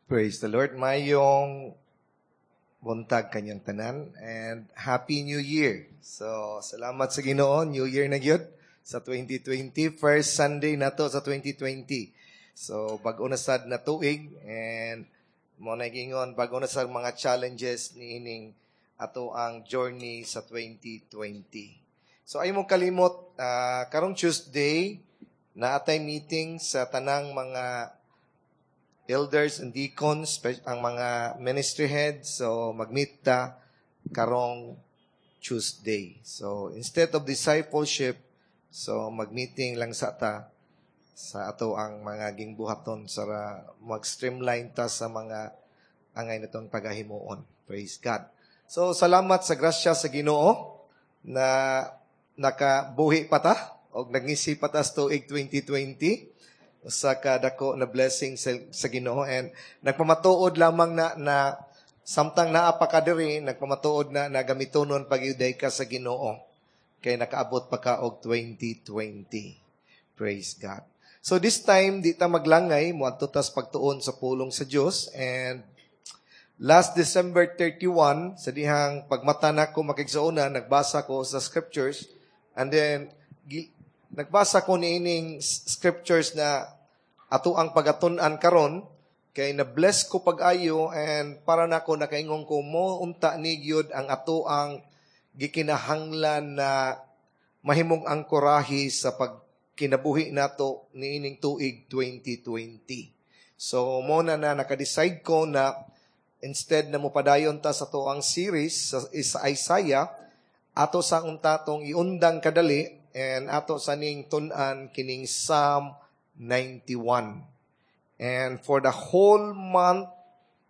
Praise the Lord. Mayong buntag kanyang tanan and Happy New Year. So, salamat sa Ginoo, New Year na gyud sa 2020, first Sunday na to sa 2020. So, bag-o na sad na tuig and mo na gingon bag-o na sa mga challenges niining ato ang journey sa 2020. So, ay mo kalimot karong Tuesday na atay meeting sa tanang mga elders and deacons, ang mga ministry heads, so mag-meet ta karong Tuesday. So, instead of discipleship, so mag-meeting lang sa ta sa ato ang mga gingbuhaton sa mag-streamline ta sa mga angay natong pagahimuon. Praise God. So, salamat sa grasya sa Ginoo na nakabuhi pa ta og nagngisi pa ta sa tuig 2020 sa kadako na blessing sa Ginoo, and nagpamatuod lamang na na samtang naa pa ka diri, nagpamatuod na nagamitonon pagyuday ka sa Ginoo kay nakaabot pa ka og 2020. Praise God. So this time di ta maglangay, moadto tas pagtuon sa pulong sa Dios. And last December 31, sa dihang pagmata nako, makigsuonan, nagbasa ko sa scriptures, and then nagbasa ko niining scriptures na ato ang pagatun-an karon, kay na-bless ko pag-ayo and para nako nakaingon ko mo unta ni gyud ang ato ang gikinahanglan na mahimong angkorahi sa pagkinabuhi nato niining tuig 2020. So mo na na naka-decide ko na instead na mopadayon ta sa ato ang series sa Isaiah, ato sa unta tong iundang kadali and ato sa ning tun-an kining Psalm 91. And for the whole month,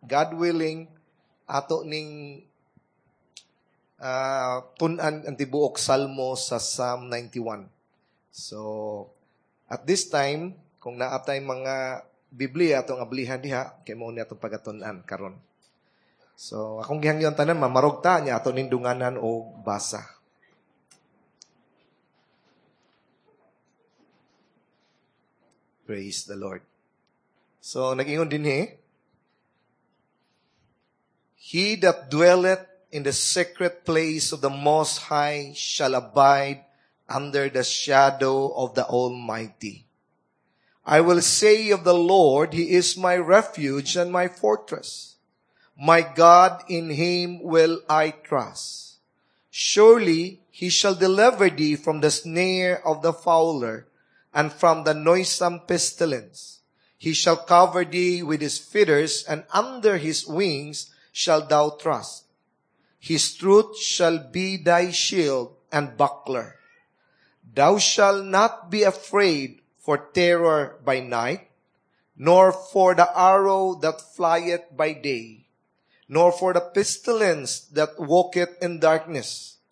God willing, ato ning tun-an ang tibuok salmo sa Psalm 91. So, at this time, kung naatay mga Biblia atong ablihan diha, kay mao ni atong pagatun-an karon. So, akong gihangyon tanan, mamarog ta niya ato ning dunganan og basa. Praise the Lord. So, nag-ingon din he, "He that dwelleth in the secret place of the Most High shall abide under the shadow of the Almighty. I will say of the Lord, He is my refuge and my fortress. My God, in Him will I trust. Surely He shall deliver thee from the snare of the fowler and from the noisome pestilence. He shall cover thee with His feathers, and under His wings shalt thou trust. His truth shall be thy shield and buckler. Thou shalt not be afraid for terror by night, nor for the arrow that flieth by day, nor for the pestilence that walketh in darkness,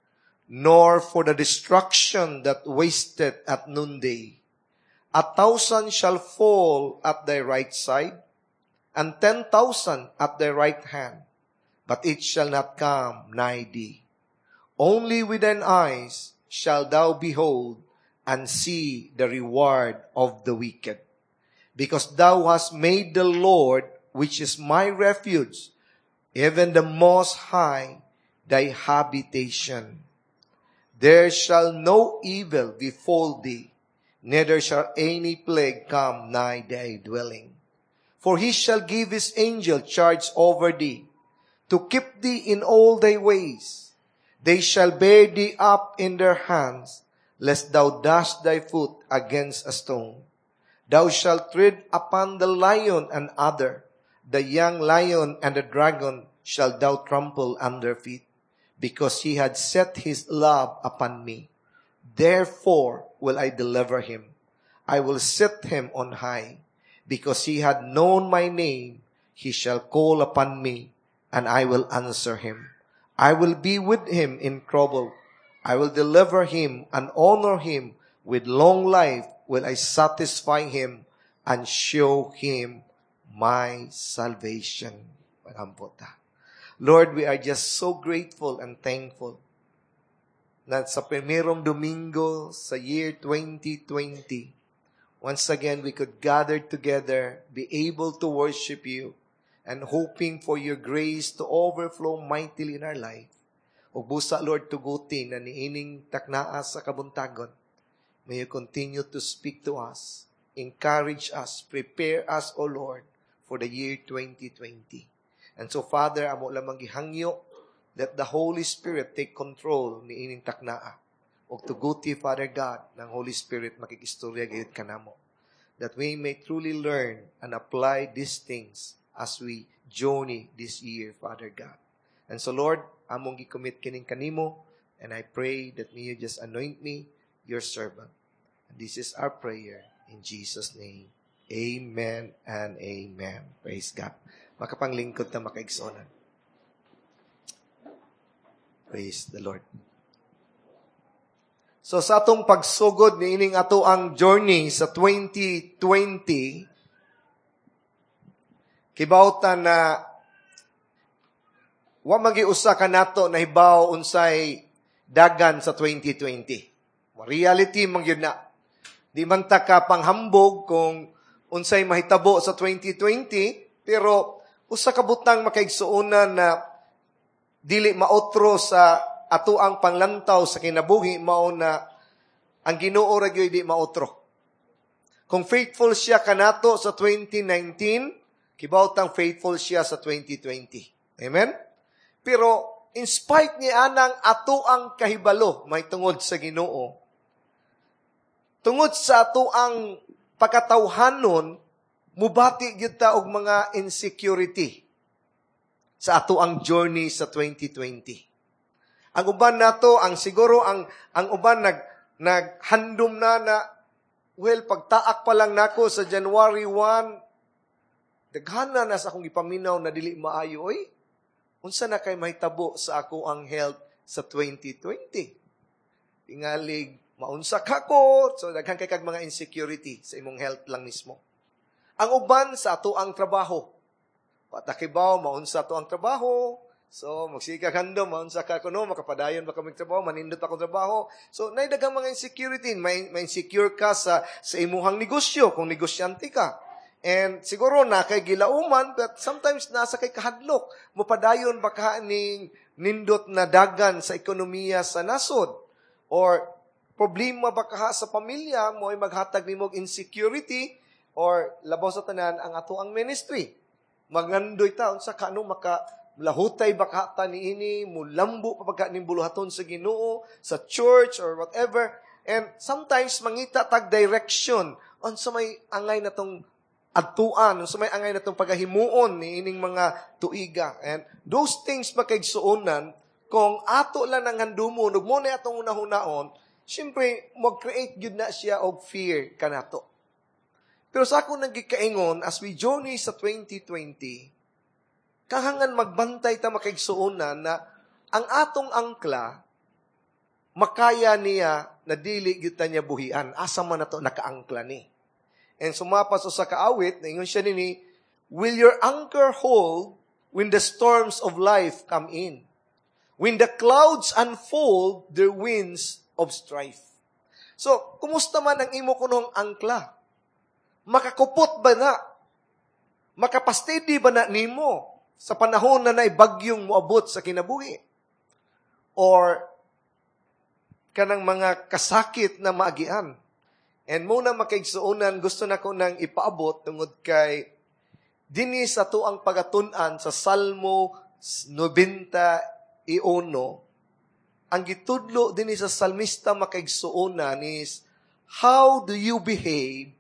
nor for the destruction that wasteth at noonday. 1,000 shall fall at thy right side, and 10,000 at thy right hand, but it shall not come nigh thee. Only with thine eyes shalt thou behold and see the reward of the wicked. Because thou hast made the Lord, which is my refuge, even the Most High, thy habitation. There shall no evil befall thee, neither shall any plague come nigh thy dwelling. For He shall give His angel charge over thee, to keep thee in all thy ways. They shall bear thee up in their hands, lest thou dash thy foot against a stone. Thou shalt tread upon the lion and adder, the young lion and the dragon shalt thou trample under feet, because he had set his love upon me. Therefore will I deliver him. I will set him on high, because he had known my name. He shall call upon me, and I will answer him. I will be with him in trouble. I will deliver him and honor him. With long life will I satisfy him and show him my salvation." Lord, we are just so grateful and thankful na sa primerong Domingo sa year 2020, once again we could gather together, be able to worship you, and hoping for your grace to overflow mightily in our life. Ug busa, Lord, tuguti na niining taknaa sa kabuntagon. May you continue to speak to us, encourage us, prepare us, O Lord, for the year 2020. And so, Father, amo lamang gihangyo that the Holy Spirit take control niining taknaa. Ug tuguti, Father God, ng Holy Spirit makikistorya gayud kanamo. That we may truly learn and apply these things as we journey this year, Father God. And so, Lord, among gi-commit kining kanimo, and I pray that may you just anoint me, your servant. And this is our prayer in Jesus' name. Amen and amen. Praise God. Makapanglingkod ta, mga kaigsuonan. Praise the Lord. So sa atong pagsugod niining ato ang journey sa 2020, kibaw ta na wa magi usa ka nato na hibaw unsay dagan sa 2020. Reality man gyud na. Di man ta ka panghambog kung unsay mahitabo sa 2020, pero usa ka butang, makaigsuonan, na dili maotro sa ato ang panglantaw sa kinabuhi mao na ang Ginoo ra gyud di maotro. Kung faithful siya kanato sa 2019, kibaw tang faithful siya sa 2020. Amen? Pero in spite ni anang ato ang kahibalo may tungod sa Ginoo, tungod sa ato ang pagkatawhanon, mubati gyud ta og mga insecurity sa ato ang journey sa 2020. Ang uban nato, ang siguro ang uban naghandom na na, well, pagtaak pa lang nako sa January 1, daghan na sa akong ipaminaw na dili maayo oy. Unsa na kay mahitabo sa ako ang health sa 2020? Tingalig maunsa ka ko, so daghan kay kag mga insecurity sa imong health lang mismo. Ang uban sa ato ang trabaho. Patakibaw, maunsa ato ang trabaho. So, magsige kag handom, maunsa ka kuno, makapadayon ba kami trabaho, manindot ako trabaho. So, naay daghang mga insecurity, may insecure ka sa imuhang negosyo, kung negosyante ka. And siguro na kay gilauman, but sometimes nasa kay kahadlok. Mupadayon ba ka ning nindot na dagan sa ekonomiya sa nasod? Or problema ba ka sa pamilya mo ay maghatag nimo og insecurity, or labaw sa tanan ang ato ang ministry. Magngandoy ta unsa ka no maka lahutay ba ka ta niini, mulambo pa pagka ning buluhaton sa Ginoo, sa church or whatever. And sometimes mangita tag direction unsa may angay na tong adtuan, unsa may angay na tong pagahimuon niining mga tuiga. And those things, makaigsuonan, kung ato lang ang handumon ug mo na atong unahunaon, syempre mag-create gyud na siya og fear kanato. Pero sa akong nagikaingon, as we journey sa 2020, kahangan magbantay ta, makaigsuonan, na ang atong angkla, makaya niya na dili gyud ta niya buhian. Asa man nato nakaangkla ni? And sumapa sa kaawit, naingon siya nini, "Will your anchor hold when the storms of life come in? When the clouds unfold their winds of strife?" So, kumusta man ang imo kunong angkla? Makakupot ba na? Makapasteady ba na nimo sa panahon na naibagyong moabot sa kinabuhi? Or kanang mga kasakit na maagian? And muna, makaigsuonan, gusto na ko nang ipaabot tungod kay dinhi sa atuang pagatun-an sa Salmo 91, ang gitudlo dinhi sa salmista, makaigsuonan, is how do you behave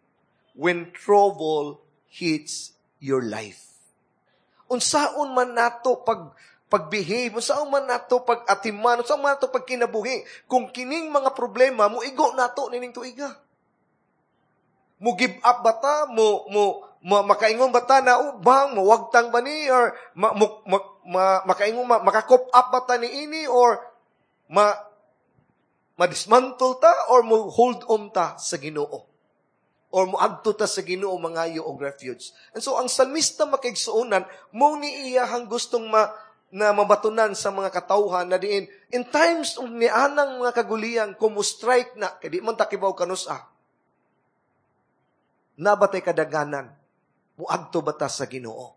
when trouble hits your life? Unsaon man nato pag-behave, unsaon man nato pag-atiman, unsaon man nato pagkinabuhi kung kining mga problema mo igo nato nining tuiga? Mo give up ba ta? Mo makaingon ba ta na, oh, bang, mawagtang ba ni? Or ma, makaingon, maka-cope up ba ta ni ini? Or ma-dismantle ta? Or mo hold on ta sa Ginoo? Or moadto ta sa Ginoo mangayo og refuge? And so ang salmista, makaigsuonan, mo ni iyahang gustong na mabatunan sa mga katawhan na diin in times og nianang mga kaguliang kung mo strike na kay di man ta kibaw kanus-a na ba tay kadaganan, muadto ba ta sa Ginoo?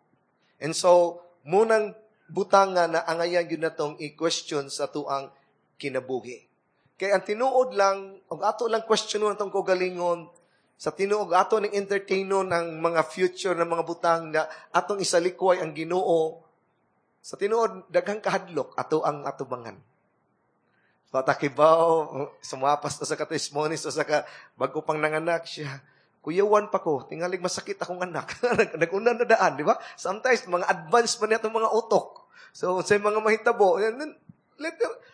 And so, munang butanga na angayan gyud natong i-question sa tuang kinabuhi. Kay ang tinuod lang, og ato lang question atong kaugalingon, sa tinuod ato ning entertainon ang mga future na mga butang na atong isalikway ang Ginoo, sa tinuod daghang kahadlok ato ang atubangan. So takibaw, sumapas na sa ka-testimonies sa ka bago pang nanganak siya. Kuyawan pa ko, tingalig masakit akong anak. Nag-una na daan, di ba? Sometimes, mga advance pa niya itong mga utok. So, sa mga mahitabo,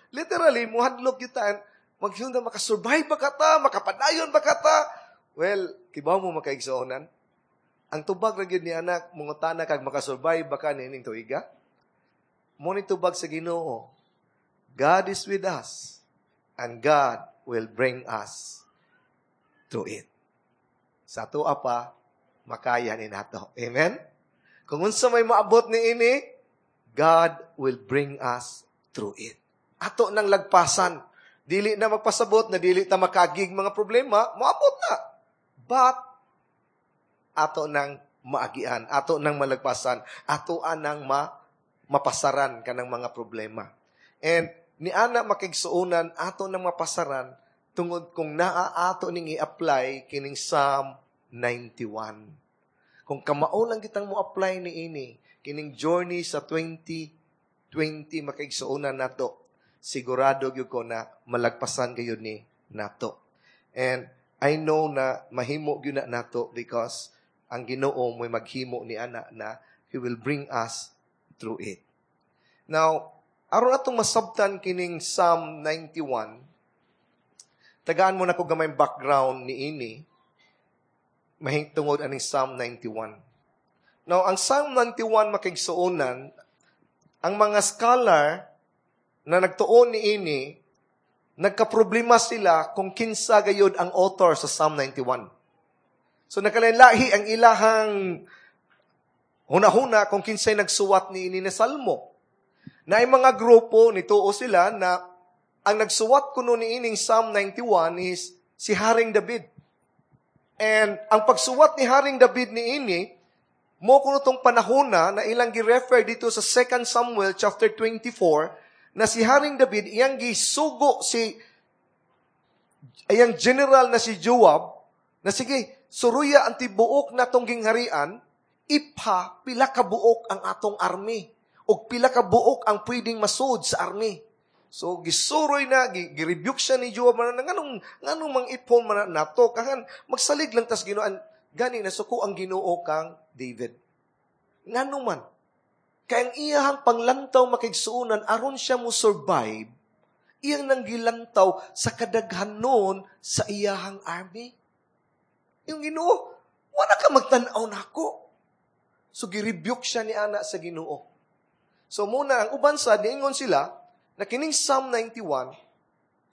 literally, muhadlok kita, maghiyong na makasurvive ba ka ta, makapadayon ba ka ta? Well, kibaw mo makaigsuonan. Ang tubag ra gyud ni anak, mangutana kag makasurvive ba ka niining tuiga? Mo ni tubag sa Ginoo. God is with us, and God will bring us through it. Sa ato pa, makaya ni nato. Amen? Kung unsa may maabot ni ini, God will bring us through it. Ato nang lagpasan. Dili na magpasabot na dili ta makagig mga problema, maabot na. But, ato nang maagian, ato nang malagpasan, ato anang mapasaran kanang mga problema. And ni ana makigsuonan, ato nang mapasaran tungod kung naa ato ning i-apply kining Psalm 91. Kung kamao lang kitang mo apply ni ini kining journey sa 2020 makaigsuonan nato, sigurado gyud ko na malagpasan gayud ni nato. And I know na mahimo gyud na nato because ang Ginoo mo'y maghimo ni ana na He will bring us through it. Now, aron atong masabtan kining Psalm 91, tagaan mo na ko gamay background ni ini, mahingtungod aning Psalm 91. Now, ang Psalm 91 makigsuonan, ang mga scholar na nagtuon ni ini, nagkaproblema sila kung kinsa gayud ang author sa Psalm 91. So nagkalain-lahi ang ilahang hunahuna kung kinsay nagsuwat ni ini na salmo. Na ay mga grupo, nituo sila na ang nagsuwat kuno ni ining Psalm 91 is si Haring David. And ang pagsuwat ni Haring David ni ini, mo kuno tong panahona na ilang gi-refer dito sa 2 Samuel chapter 24, na si Haring David iyang gisugo si iyang general na si Joab na sige, suruya ang tibuok na tong gingharian, ipha pila ka buok ang atong army ug pila ka buok ang pwedeng masud sa army. So gisuroy na, gi-rebuke siya ni Joab man nganong nganong mang ipon man nato kahan magsalig lang tas Ginoo gani nasuko ang Ginoo kang David. Ngano man kay ang iyahang panglantaw makigsuonan aron siya mo survive, iyang nanggilantaw sa kadaghanon sa iyahang army. Yung Ginoo, wala ka magtan-aw nako. So gi-rebuke siya ni ana sa Ginoo. So muna ang uban sa niingon sila na kining Psalm 91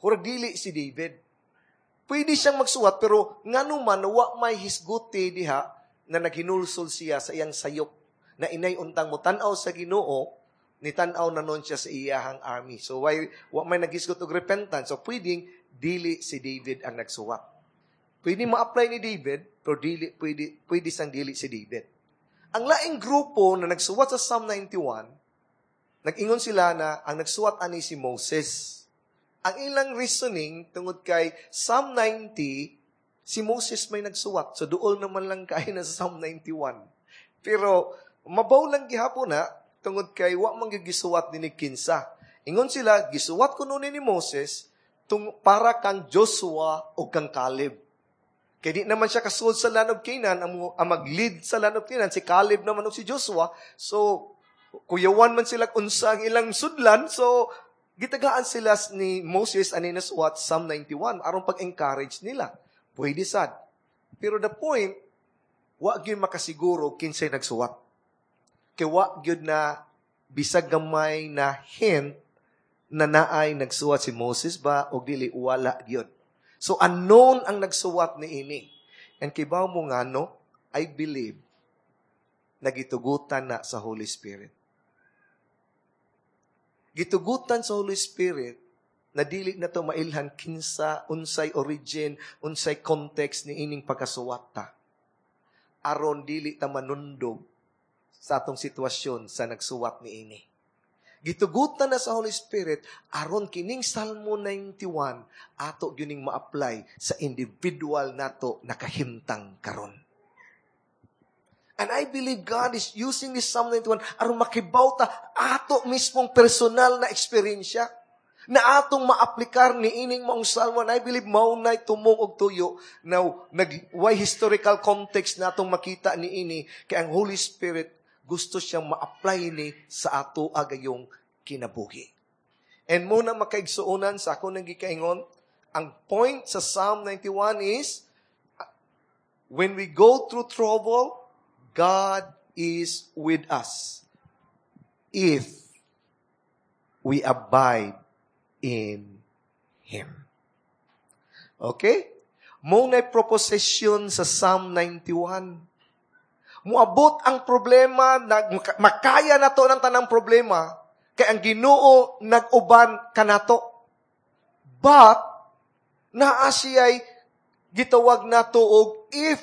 hurag dili si David. Pwede siyang magsuwat pero ngano man wa may hisguti diha na naghinulsol siya sa iyang sayop na inay untang mo tan-aw sa Ginoo, ni tan-aw na nun siya sa iyahang army. So why wa may naghisgot og repentance. So pwedeng dili si David ang nagsuwat. Pwede ma-apply ni David pero dili pwede pwede sang dili si David. Ang laing grupo na nagsuwat sa Psalm 91, nag-ingon sila na ang nagsuwat ani si Moses. Ang ilang reasoning tungod kay Psalm 90, si Moses may nagsuwat. So duol naman lang kay na sa Psalm 91. Pero mabaw lang gihapon na tungod kay wa man gyud gisuwat ni kinsa. Ingon sila, gisuwat kuno ni Moses tung para kang Joshua o kang Caleb. Kay di naman siya kasuod sa land of Canaan, ang mag-lead sa land of Canaan, si Caleb naman o si Joshua. So, kuyawan man sila unsa ang ilang sudlan. So, gitagaan sila ni Moses ani nasuwat Psalm 91 aron pag-encourage nila. Pwede sad. Pero the point, wa gyud makasiguro kinsay nagsuwat. Kay wa gyud na bisag gamay na hint na naay nagsuwat si Moses ba o dili, wala gyud. So unknown ang nagsuwat ni ini. And kibaw mo nga no, I believe nagitugutan na sa Holy Spirit. Gitugutan sa Holy Spirit na dili na to mailhan kinsa, unsay origin, unsay context ni ining pagkasuwat ta. Aron dili ta manundog sa atong sitwasyon sa nagsuwat niini. Gitugutan na sa Holy Spirit aron kining Salmo 91 ato gyuning ma-apply sa individual nato nakahimtang karon. And I believe God is using this Psalm 91 aron makibaw ta ato mismong personal na eksperyensya na atong maaplikar ni ining maong salmo. And I believe mao na tumong og tuyo. Now, nag, why historical context na atong makita ni ini, kay ang Holy Spirit gusto siyang ma-apply ni sa ato agayong kinabuhi. And muna, makaigsuonan, sa ako nang gikaingon, ang point sa Psalm 91 is, when we go through trouble, God is with us if we abide in Him. Okay? Mo na proposition sa Psalm 91. Muabot ang problema, makaya na to ng tanang problema, kay ang Ginoo nag-uban kanato. But, naa siya'y gitawag nato og if,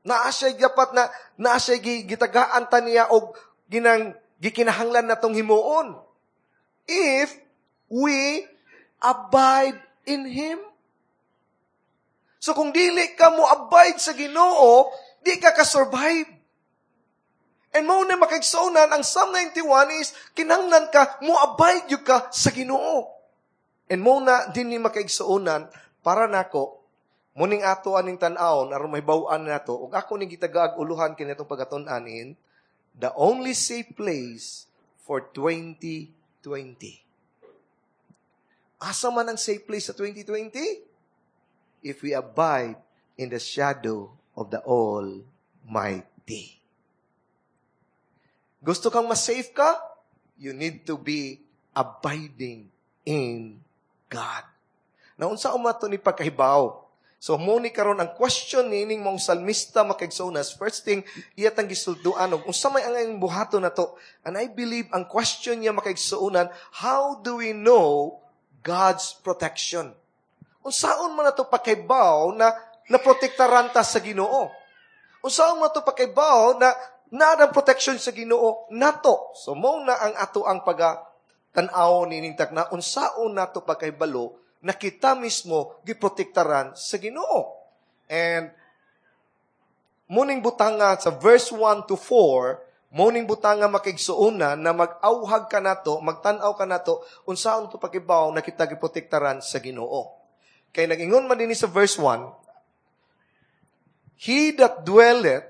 naa siya dapat na naa siya gitagaan ta niya og ginang gikinahanglan natong himuon. If we abide in Him. So kung dili ka mo abide sa Ginoo, di ka ka-survive. And mao na, makaigsuonan, ang Psalm 91 is, kinahanglan ka, mo abide gyud ka sa Ginoo. And mao na din ni, makaigsuonan, para nako, muning ato aning tan-awon, aron mahibaw-an nato, ug ako ning gitagaag uluhan kini atong pagatun-an in, the only safe place for 2020. Asa man ang safe place sa 2020? If we abide in the shadow of the Almighty. Gusto kang mas-safe ka? You need to be abiding in God. Naunsa man to ni pagkahibaw? So, mo ni karon ang question nining mong salmista, makaigsuonan. First thing, iya tang gisulduan og unsa may ang buhaton nato. And I believe ang question niya, makaigsuonan, how do we know God's protection? Unsaon man nato pagkahibaw na naprotektaran ta sa Ginoo? Unsaon man to pagkahibaw na naa ang protection sa Ginoo nato? So mo na ang ato ang paga tan-aw nining takna, unsaon nato pagkahibalo na kita mismo giprotektaran sa Ginoo. And muning butanga sa verse 1 to 4, muning butanga, makaigsuonan, na mag-awhag ka nato, magtan-aw ka nato, unsaon to pakibaw na kita giprotektaran sa Ginoo. Kay nag-ingon man dinhi sa verse 1, "He that dwelleth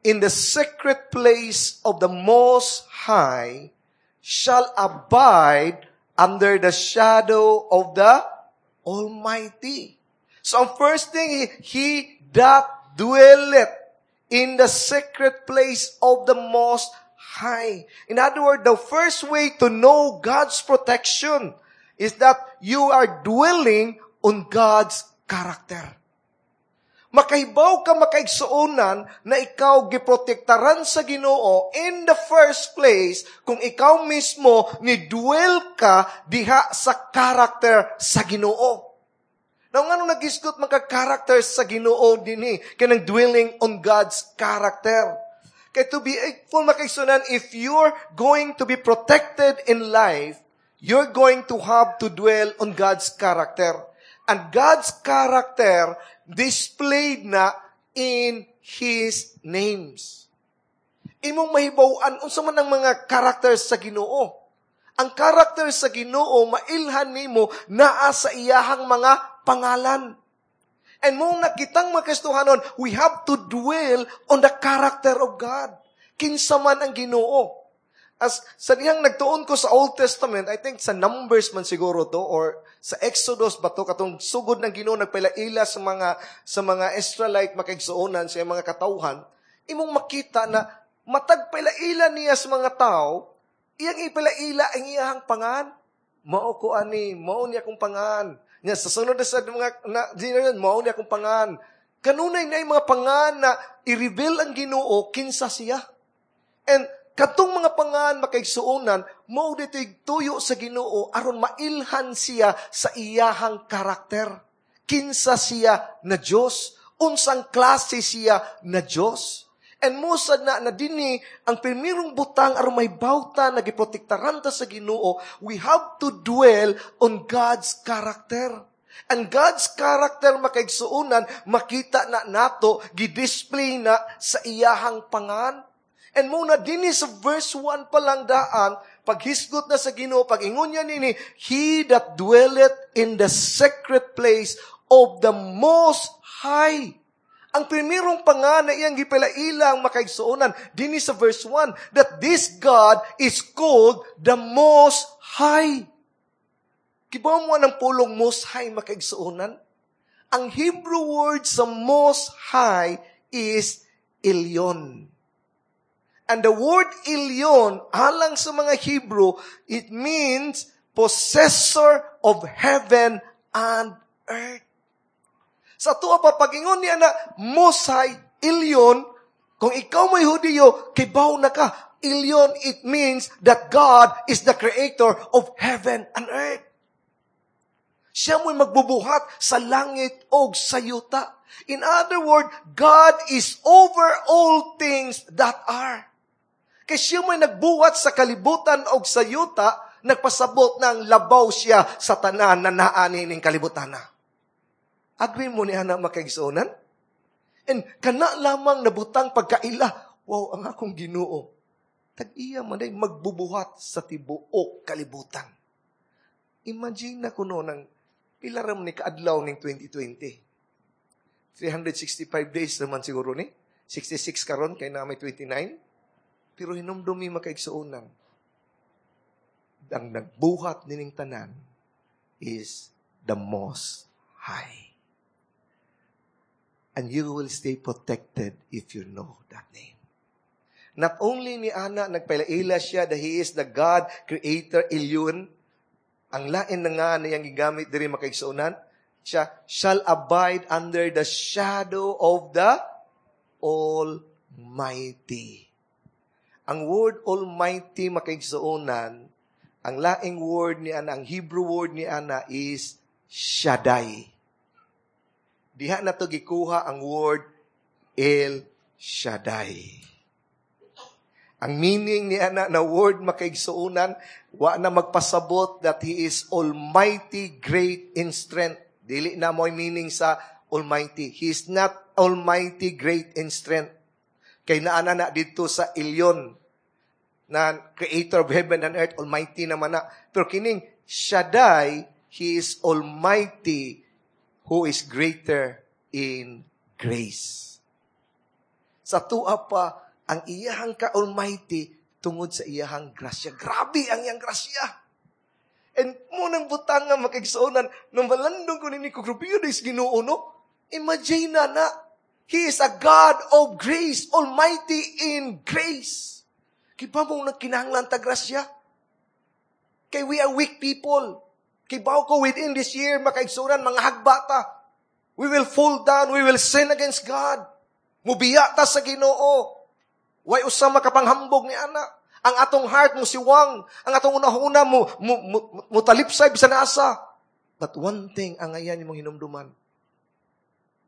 in the secret place of the Most High shall abide under the shadow of the Almighty." So ang first thing, he that dwelleth in the secret place of the Most High. In other words, the first way to know God's protection is that you are dwelling on God's character. Makahibaw ka, makaigsuonan, na ikaw giprotektaran sa Ginoo in the first place kung ikaw mismo ni dwell ka diha sa character sa Ginoo. Now, ngano nagisgot man character sa Ginoo dinhi kanang dwelling on God's character? Kay to be full, makaigsuonan, if you're going to be protected in life, you're going to have to dwell on God's character. And God's character displayed na in His names. Imong mahibaw-an unsa man ang mga characters sa Ginoo. Ang character sa Ginoo mailhan nimo naa sa iyahang mga pangalan. And mao na kitang mga Kristohanon, we have to dwell on the character of God. Kinsa man ang Ginoo. As sa dihang nagtuon ko sa Old Testament, I think sa Numbers man siguro to or sa Exodus ba to, katong sugod ng Ginoo nagpaila-ila sa mga Israelite, makaigsuonan, sa mga katawhan, imong makita na matag paila-ila niya sa mga tao, iyang ipalaila ang iyang pangan. "Mao ko ani, mao niya akong pangan." Nya sa sunod na sa mga na, "Mao niya akong pangan." Kanunay na mga pangan na i-reveal ang Ginoo kinsa siya. And katong mga pangan, makaigsuonan, mao dito'y tuyo sa Ginoo aron mailhan siya sa iyahang karakter. Kinsa siya na Dios, unsang klase siya na Dios. And mao sad na na dinhi ang primerong butang aron may bawta na giprotektaran ta sa Ginoo, we have to dwell on God's character. And God's character, makaigsuonan, makita na nato, gi-display na sa iyahang pangan. And mao na dinhi sa verse 1 pa lang daan, paghisgot na sa Ginoo, pag ingon niya nini, "He that dwelleth in the secret place of the Most High." Ang primerong pangan na iyang gipalailang, makaigsuonan, dinhi sa verse 1, that this God is called the Most High. Kibaw mo ang pulong Most High, makaigsuonan? Ang Hebrew word sa Most High is Elyon. And the word Elyon, alang sa mga Hebrew, it means possessor of heaven and earth. Sa tuwa pa, pagingon niya na Most High, Elyon, kung ikaw may Hudiyo, kibaw na ka. Elyon, it means that God is the creator of heaven and earth. Siya mo'y magbubuhat sa langit o sa yuta. In other words, God is over all things that are. Kay siya mo'y nagbuhat sa kalibutan o sa yuta, nagpasabot ng labaw siya sa tanan na naa nining kalibutan na. Agree mo ni ana, makaigsuonan? And kana lamang nabutang pagkaila, wow, ang akong Ginoo. Tag-iya man ay magbubuhat sa tibuok kalibutan. Imagine na kuno ng pila ram ni kaadlaw ning 2020. 365 days naman siguro ni. 66 karon kay na may 29. Pero hinumdumi, makaigsuonan, ang nagbuhat nining tanan is the Most High. And you will stay protected if you know that name. Not only ni ana nagpailaila siya that He is the God, Creator, Elyon, ang lain na nga niyang gigamit diri, makaigsuonan, siya shall abide under the shadow of the Almighty. Ang word Almighty, makaigsuonan, ang laing word ni ana, ang Hebrew word ni ana is Shaddai. Diha na to gikuha ang word El Shaddai. Ang meaning ni ana na word, makaigsuonan, wa na magpasabot that He is almighty, great in strength. Dili na mo meaning sa Almighty. He is not almighty, great in strength. Kay naana na dito sa Elyon na creator of heaven and earth, almighty naman na. Pero kining Shaddai, He is almighty who is greater in grace. Sa tuwa pa, ang iyahang ka-almighty tungod sa iyahang grasya. Grabe ang iyang grasya. And mao nang butang nga, makaigsuonan, nung malandong ko nini ko, grabe yun is Ginoo, no? Imagine na na, He is a God of grace, almighty in grace. Kibaw mo nagkinahanglan ta grasya? Kay we are weak people. Kibaw ko within this year, makaigsuonan, mga hagba ta. We will fall down, we will sin against God. Mubiya ta sa Ginoo. Way usa makapanghambog ni ana. Ang atong heart mo siwang, ang atong unahuna mo talipsay bisan asa. But one thing ang ayan imong hinumduman.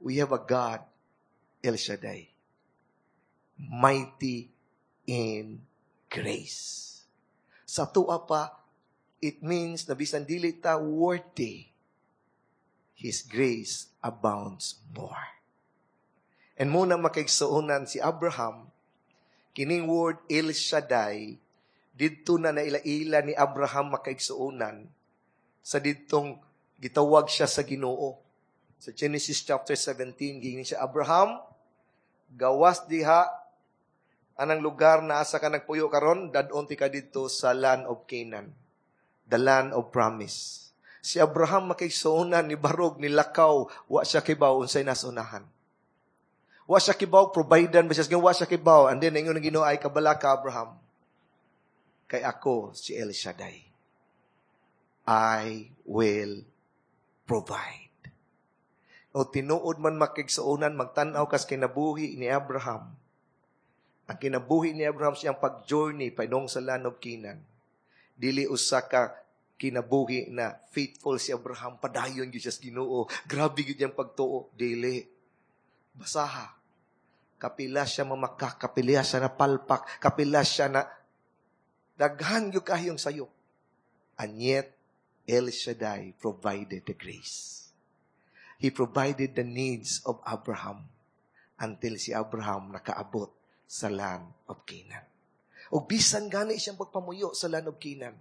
We have a God, El Shaddai, mighty in grace. Sa tuwa pa, it means na bisan dili ta worthy, His grace abounds more. And mao na, makaigsuonan, si Abraham, kining word El Shaddai, didto na naila-ila ni Abraham, makaigsuonan, sa didtong gitawag siya sa Ginoo. Sa Genesis chapter 17, giingnan siya, "Abraham, gawas diha anang lugar na asa ka nagpuyo karon, dad-on ti ka didto sa land of Canaan, the land of promise." Si Abraham, makaigsuonan, ni barog, ni lakaw, wa siya kibaw unsay nasunahan. Wa siya kibaw, providean ba siya, wa siya kibaw. And then, ingon ng Ginoo ay, "Kabala ka, Abraham, kay ako si El Shaddai. I will provide." O tinuod man, makaigsuonan, magtanaw kas kinabuhi ni Abraham. Ang kinabuhi ni Abraham siyang pag-journey padung sa land of Canaan. Dili usa ka kinabuhi na faithful si Abraham, padayon gyud siya sa Ginoo. Grabe gyud iyang pagtuo. Dili. Basaha. Kapila siya mamaka, kapila siya na palpak, kapila siya na daghan gyud kaayong sayop. And yet, El Shaddai provided the grace. He provided the needs of Abraham until si Abraham nakaabot sa land of Canaan. O bisan gani siyang pagpamuyo sa land of Canaan,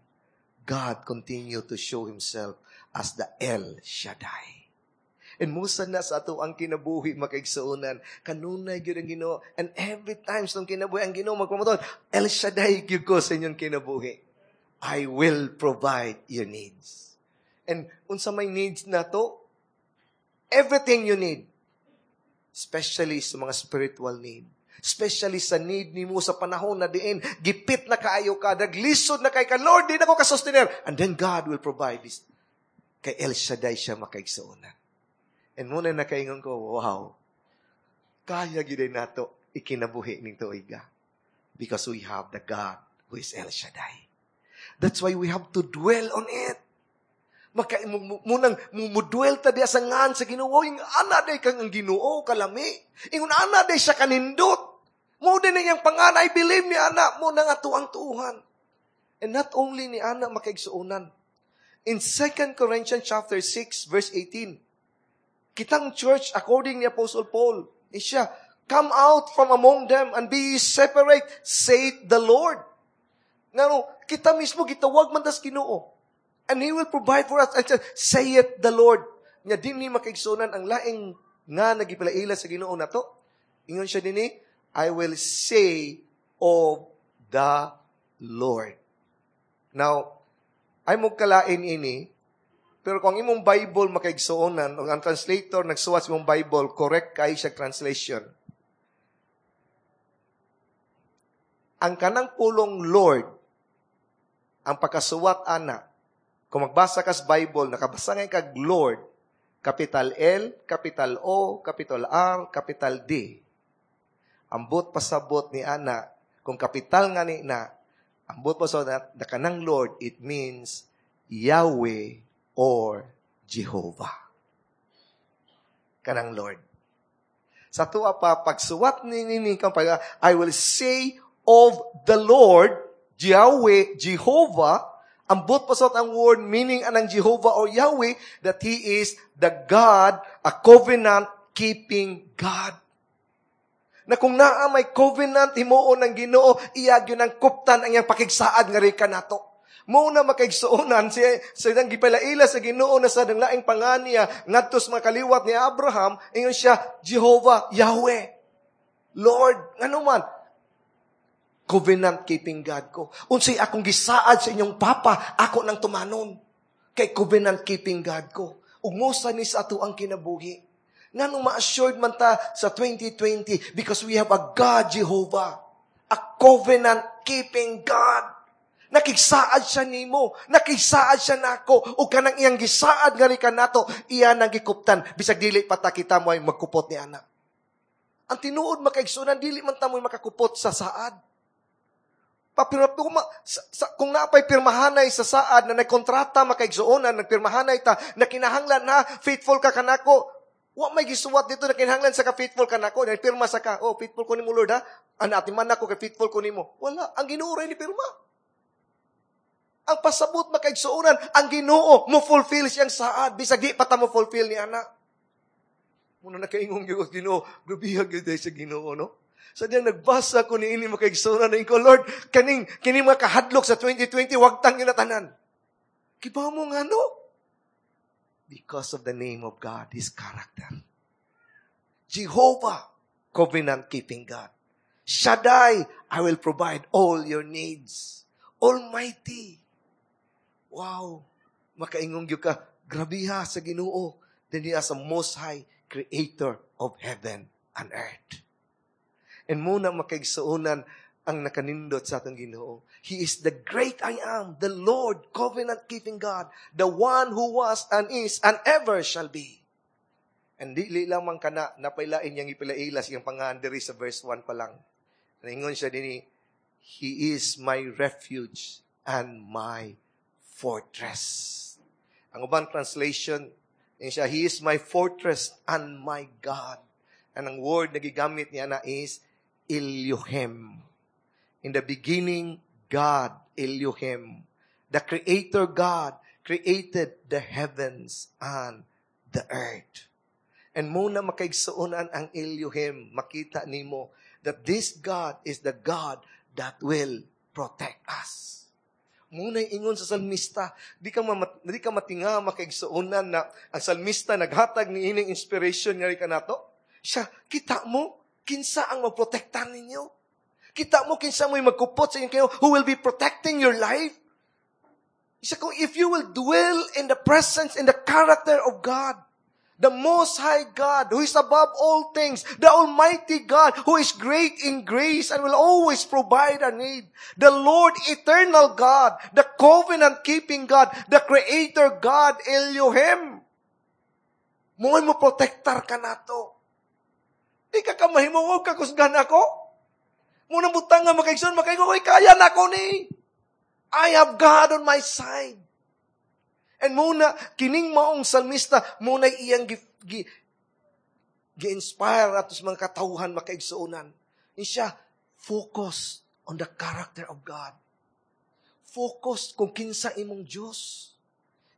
God continued to show Himself as the El Shaddai. And musa na sa ato ang kinabuhi, makaigsuonan. Kanunay gyud ang Ginoo. And every time sa kinabuhi ang Ginoo magpamatuod, "El Shaddai gyud ko sa inyong kinabuhi. I will provide your needs." And unsa may needs nato? Everything you need. Especially sa mga spiritual need. Especially sa need nimo sa panahon na diin, gipit na kaayo ka, naglisod na kay ka, "Lord, di na ko kasustener." And then God will provide this. Kay El Shaddai siya, makaigsuonan. And muna nakaingon ko, "Wow, kaya gyud nato ikinabuhi ning tuiga." Because we have the God who is El Shaddai. That's why we have to dwell on it. Maka munang mudwell ta diya sa ngan sa Ginoo, yung ana day kang ang Ginoo kalami. Ingon ana day siya kanindot. Mo din iyang pangan, I believe ni ana mo nang ato ang tuuhan. And not only ni ana, makaigsuonan. In 2 Corinthians chapter 6 verse 18, kitang church, according ni Apostle Paul, is siya, "Come out from among them and be separate, saith the Lord." Ngano, kita mismo gitawag man tas Ginoo. And He will provide for us. And saith the Lord. Nya dinhi, makaigsuonan, ang laing nga nagipilaila sa Ginoo nato. Ingon siya dinhi, "I will say of the Lord." Now, ay mo kalain ini, pero kung ang imong Bible, makaigsuonan, o ang translator nagsuwat sa imong Bible, correct kay siya translation. Ang kanang pulong "Lord", ang pagkasuwat ana, kung magbasa ka sa Bible, nakabasa ngay kag "Lord", capital L, capital O, capital R, capital D. Ambot pasabot ni ana, kung capital nga ni na, ambot pasabot na kanang "Lord", it means Yahweh or Jehovah. Kanang "Lord". Sa tuwa pa, pagsuwat ni nini kang pag, "I will say of the Lord", Yahweh, Jehovah, ambot pasot ang word meaning anang Jehovah or Yahweh, that He is the God, a covenant-keeping God. Na kung naa may covenant himuon ng Ginoo, iya gyud ang kuptan ang iyang pakigsaad nga rika nato. Mo na, makaigsuonan, siya sa nang gipalaila sa Ginoo na sa laing panganiya ngadto sa mga kaliwat ni Abraham, ingon siya Jehovah, Yahweh. Lord, ngano man covenant keeping God ko. Unsay akong gisaad sa inyong papa, ako nang tumanon. Kay covenant keeping God ko. Ug mosa ni sa ato ang kinabuhi. Nganong ma-assured man ta sa 2020? Because we have a God, Jehovah. A covenant keeping God. Nakigsaad siya nimo, nakigsaad siya nako, ug kanang iyang gisaad nga ka nato, iya nang gikuptan, bisag dili pa ta kita mo ay magkupot ni ana. Ang tinuod, makaigsuonan, dili man ta mo'y makakupot sa saad. Papirma, kung naapay pirmahanay sa saad na nagkontrata, makaigsuonan, nagpirmahanay ta, na kinahanglan na faithful ka kanako, wa may gisuwat dito na kinahanglan sa ka faithful kanako, nagpirma sa ka, "Oh, faithful ko nimo, Lord, ha, ana ati man ako kay faithful ko nimo." Wala, ang Ginoo ra ni pirma. Ang pasabot, makaigsuonan, ang Ginoo mo fulfill siyang saad, bisag di pa ta mo fulfill ni ana. Muna nakaingong gyud Ginoo, grabiha gyud sa Ginoo, no? Sa diyang nagbasa ko ni ini, makaigsuonan, na ko, "Lord, kaning kini mga kahadlok sa 2020, wag tang tanan." Kibaw mo nga no? Because of the name of God, His character. Jehovah, covenant-keeping God. Shaddai, I will provide all your needs. Almighty. Wow. Makaingong gyud ka, grabiha sa Ginoo. Then He as a Most High Creator of heaven and earth. And muna, makaigsuonan, ang nakanindot sa atong Ginoo. He is the great I Am, the Lord, covenant-keeping God, the one who was and is and ever shall be. And dili lamang kana, napailain niyang ipilaila siyang pangalan diri sa verse 1 pa lang. Naingon siya dinhi, "He is my refuge and my fortress." Ang ubang translation, ingon siya, "He is my fortress and my God." And ang word na gigamit niya na is Elohim. In the beginning, God, Elohim, the Creator God, created the heavens and the earth. And muna makaigsuonan ang Elohim, makita nimo that this God is the God that will protect us. Muna ingon sa salmista, di ka matinga, makaigsuonan, na ang salmista naghatag ni ining inspiration nga ka nato. Siya, kita mo kinsa ang magprotektar ninyo. Kita mo kinsa mo'y magkupot sa inyo kayo, who will be protecting your life. Siya kung if you will dwell in the presence, in the character of God, the Most High God, who is above all things, the Almighty God, who is great in grace and will always provide our need, the Lord, eternal God, the covenant-keeping God, the Creator God, Elohim. Mo'y mo protektar ka nato. Di ka kamahimo ka kusgan ako. Munang butang nga makaigsoon, makaingon, "Oy, kaya na ako ni. I have God on my side." And muna, kining maong salmista, muna iyang gi-inspire atos mga katawhan, makaigsuonan. Ni siya, focus on the character of God. Focus kung kinsa imong Diyos.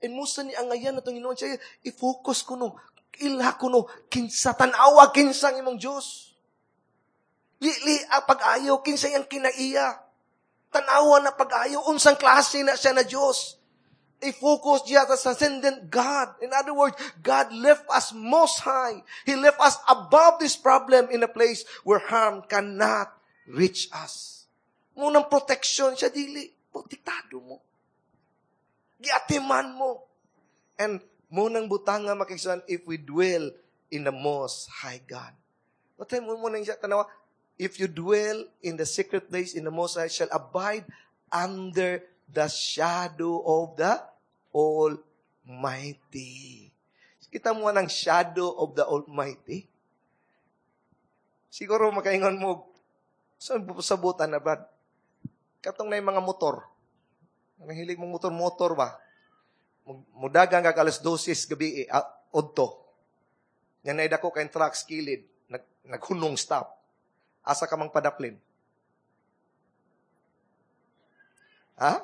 And musa ni angayan na itong Ginoo siya, i-focus ko no, ilha ko no, kinsa, tanawa kinsa ang imong Diyos. Lili ang pag-ayo, kinsa iyang kinaiya. Tanawa na pag-ayo, unsang klase na siya na Diyos. I-focus niya sa transcendent God. In other words, God left us most high. He left us above this problem in a place where harm cannot reach us. Munang protection siya, dili. Protektado mo. Giatiman mo. And munang butanga, makikisuan, if we dwell in the Most High God. What time mo nang siya, tanawa, if you dwell in the secret place in the Most High, shall abide under the shadow of the Almighty. Kita mo ng shadow of the Almighty. Siguro makaingon mo, sa sabutan na ba? Katong na yung mga motor. Ang hilig mong motor-motor ba? Mudagang kag alas 12 gabi, eh, odto. Nga naida ko kay trucks kilid, naghunong stop. Asa ka mang padaplin? Ha?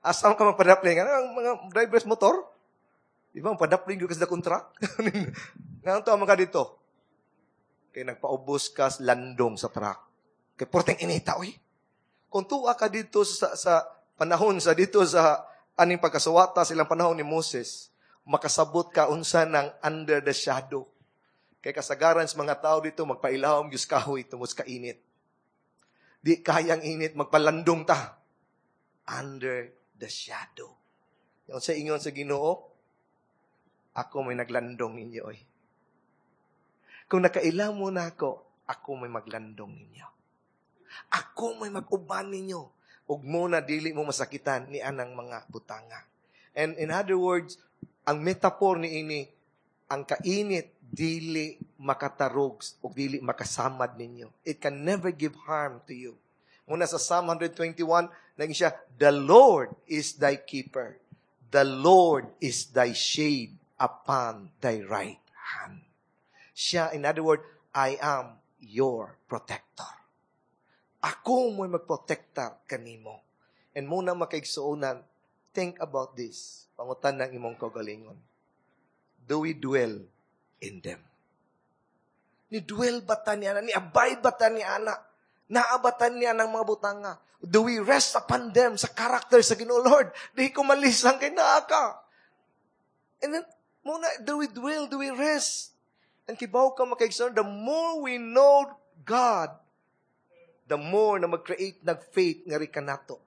Asa ka mang padaplin? Ano ang mga drivers motor? Di ba, ang padaplin yung kasi dakong truck? Nga to ang mga dito. Kay nagpaubos ka landong sa truck. Kay porteng inita, oy. Kung tuwa ka dito sa panahon, sa dito sa aning pagkasuwata silang panahon ni Moses, makasabot ka unsa ng under the shadow. Kay kasagaran sa mga tao dito, magpailawom Diyos kahoy tungod sa kainit. Di kayang init, magpalandong ta. Under the shadow. Yung sa ingon sa Ginoo, ako may naglandong ninyo. Oy. Kung nakaila mo na ako, ako may maglandong ninyo. Ako may mag-uban ninyo. Ug mo na dili mo masakitan ni anang mga butanga. And in other words, ang metaphor ni ini, ang kainit dili makatarog o dili makasamad ninyo. It can never give harm to you. Muna sa Psalm 121, naging siya, "The Lord is thy keeper. The Lord is thy shade upon thy right hand." Siya, in other words, I am your protector. Ako mo'y magprotektar kanimo. And muna makaigsuonan, think about this. Pangutan ng imong kaugalingon. Do we dwell in them? Ni dwell ba ta ni ana? Ni abide ba ta ni ana? Naabatan niya ng mga butanga? Do we rest upon them sa character sa Ginoo? Lord, di ko malisang kay naa ka. And then, muna, do we dwell? Do we rest? And kibaw ka, makaigsoon, the more we know God, the more na mag-create ng faith nga rin nato.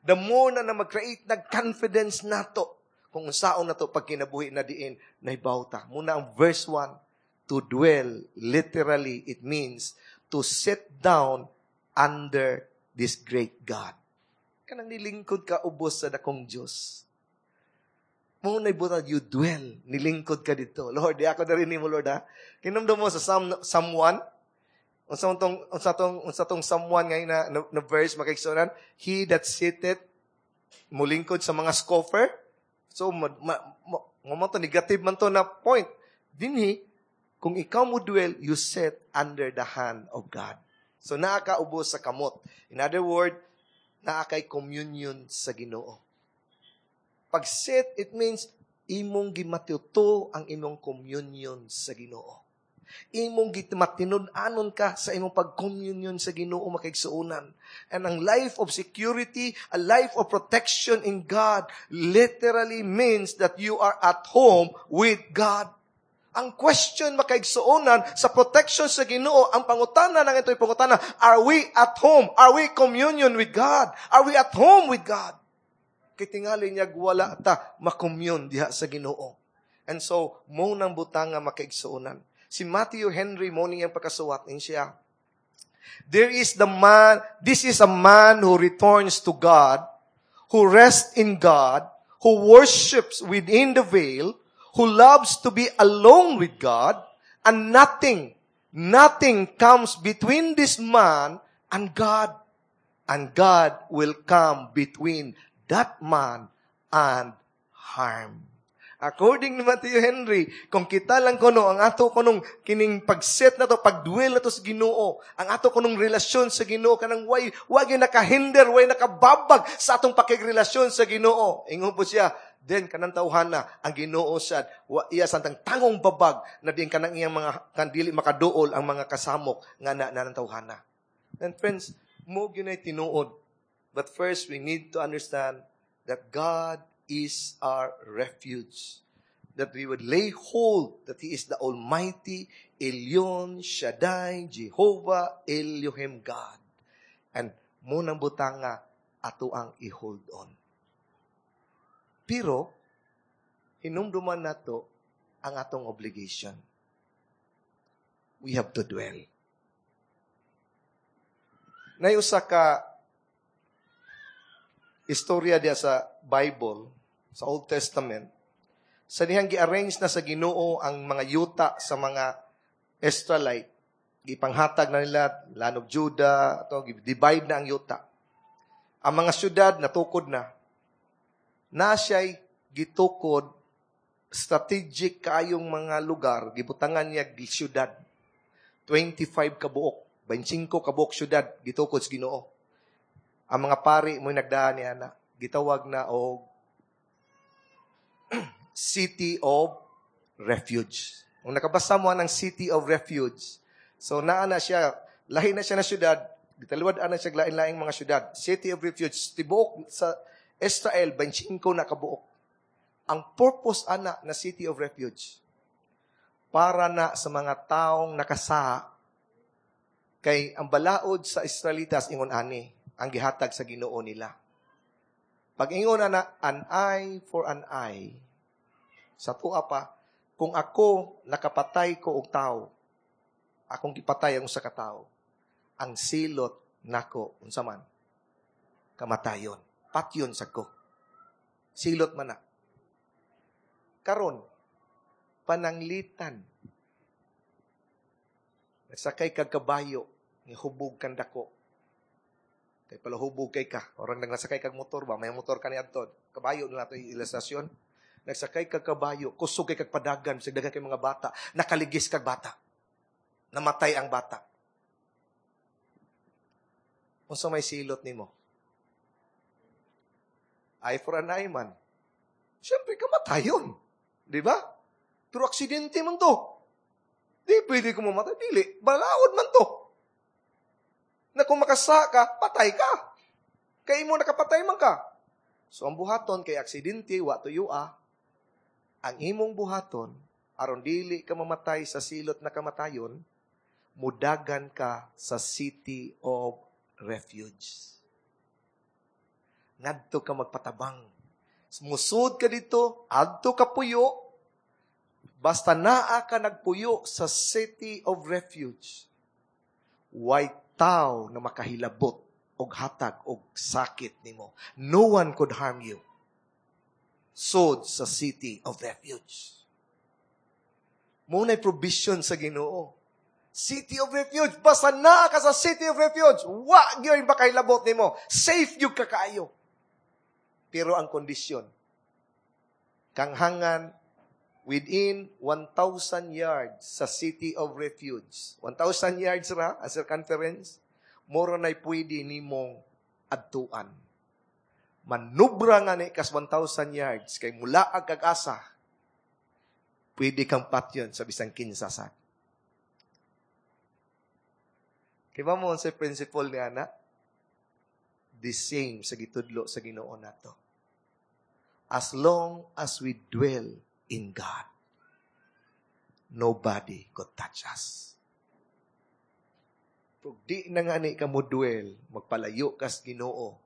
The more na mag-create ng confidence nato. Kung unsaon na to pag kinabuhi na diin, nahibaw ta. Muna ang verse 1, to dwell, literally, it means to sit down under this great God. Kanang nilingkod ka ubos sa dakong Diyos. Muna ibutan, you dwell, nilingkod ka dito. Lord, di ako na rin mo, Lord, ha? Kinumdum mo sa Psalm 1, unsa tong Psalm 1 ngayon na verse, makaigsunan, he that sitteth, mulingkod sa mga scoffer. So, ma, ma, ma, to, negative man to na point. Dinhi, Kung ikaw mo dwell, you sit under the hand of God. So naa ka ubos sa kamot. In other word, naa kay communion sa Ginoo. Pag sit, it means imong gimatuto ang imong communion sa Ginoo. Imong gimatinud-anon ka sa imong pag-communion sa Ginoo, makaigsuonan. And ang life of security, a life of protection in God, literally means that you are at home with God. Ang question, makaigsuonan, sa protection sa Ginoo, ang pangutana ng ito'y pangutana, are we at home? Are we communion with God? Are we at home with God? Kay tingali niya wala ta makommune diha sa Ginoo. And so, mao nang butang nga, makaigsuonan. Si Matthew Henry, mao niyang pagkasuwat ni siya. There is the man, this is a man who returns to God, who rests in God, who worships within the veil, who loves to be alone with God, and nothing, nothing comes between this man and God. And God will come between that man and harm. According ni Matthew Henry, kung kita lang kuno, ang ato kunong kining pagset na to, pagdwell na to sa Ginoo, ang ato kunong relasyon sa Ginoo, kanang way gyud nakahinder, way nakababag sa atong pakigrelasyon sa Ginoo. Ingon po siya, then kanang tawhana, ang Ginoo sad, wa, iya santang tangong babag na din kanang iyang mga kan dili makaduol ang mga kasamok nga na ng tawhana. And friends, mao gyud tinuod. But first, we need to understand that God is our refuge. That we would lay hold that He is the Almighty Elyon Shaddai Jehovah Elohim God. And mao nang butang nga ato ang i-hold on. Pero, hinumduman nato ang atong obligation. We have to dwell. Nay usa ka istorya diya sa Bible, sa Old Testament, sa dihang gi-arrange na sa Ginoo ang mga yuta sa mga Israelite, gipanghatag na nila, land of Judah, to, divide na ang yuta. Ang mga syudad natukod na. Na siya'y gitukod strategic kaayong mga lugar, gibutangan niya syudad. 25 kabuok, 25 kabuok syudad gitukod sa Ginoo. Ang mga pari mo nagdaan niya na, gitawag na og City of Refuge. Kung nakabasa mo ng City of Refuge, so naa na siya, lahi na siya na syudad, gitaluwad na siya lain-laing mga syudad. City of Refuge, tibuok sa Israel, 25 na kabuok. Ang purpose ana na City of Refuge, para na sa mga taong nakasaha, kay ang balaod sa Israelitas ingon ani, ang gihatag sa Ginoo nila. Pag ingon ana, an eye for an eye, sa tuwa pa, kung ako nakapatay ko og tao, akong gipatay ang usa ka tawo, ang silot nako unsa man? Kamatayon. Patyon sa ko. Silot man na. Karon, pananglitan. Nagsakay kag kabayo, ni hubog kan dako. Kay pala hubog kay ka. Orang nagsakay kag motor ba? May motor ka ni adto. Kabayo na nato ilustrasyon. Nagsakay kag kabayo, kusog kay kag padagan, sa daghan kay mga bata, nakaligis kag bata. Namatay ang bata. Unsa may silot nimo? Eye for an eye man. Siyempre, kamatayon. Di ba? Pero aksidente man to. Di pwede ko mamatay. Dili. Balaod man to. Na kung makasa ka, patay ka. Kay mo nakapatay man ka. So, ang buhaton kay aksidente, wa tuyo. Ang imong buhaton, aron dili ka mamatay sa silot na kamatayon, mudagan ka sa City of Refuge. Ngadto ka magpatabang. Musud ka dito, adto ka puyo, basta naa ka nagpuyo sa City of Refuge, way tao na makahilabot og hatag og sakit nimo. No one could harm you. Sod sa City of Refuge. Mao na'y provision sa Ginoo. City of Refuge. Basta naa ka sa City of Refuge, wa gyud makahilabot nimo. Safe gyud ka kaayo. Pero ang kondisyon, kanghangan Within 1,000 yards sa city of refuge. 1,000 yards ra, ang circumference, moro na'y pwede nimong adtuan. Manubra nga ni kas 1,000 yards, kay mula ang kag-asa, pwede kang patyon sa bisang kinsa sad. Kaya mo sa principle ni ana? The same sa gitudlo sa Ginoo nato. As long as we dwell in God, nobody could touch us. Pag di na nga ni ka mo dwell, magpalayo kas Ginoo,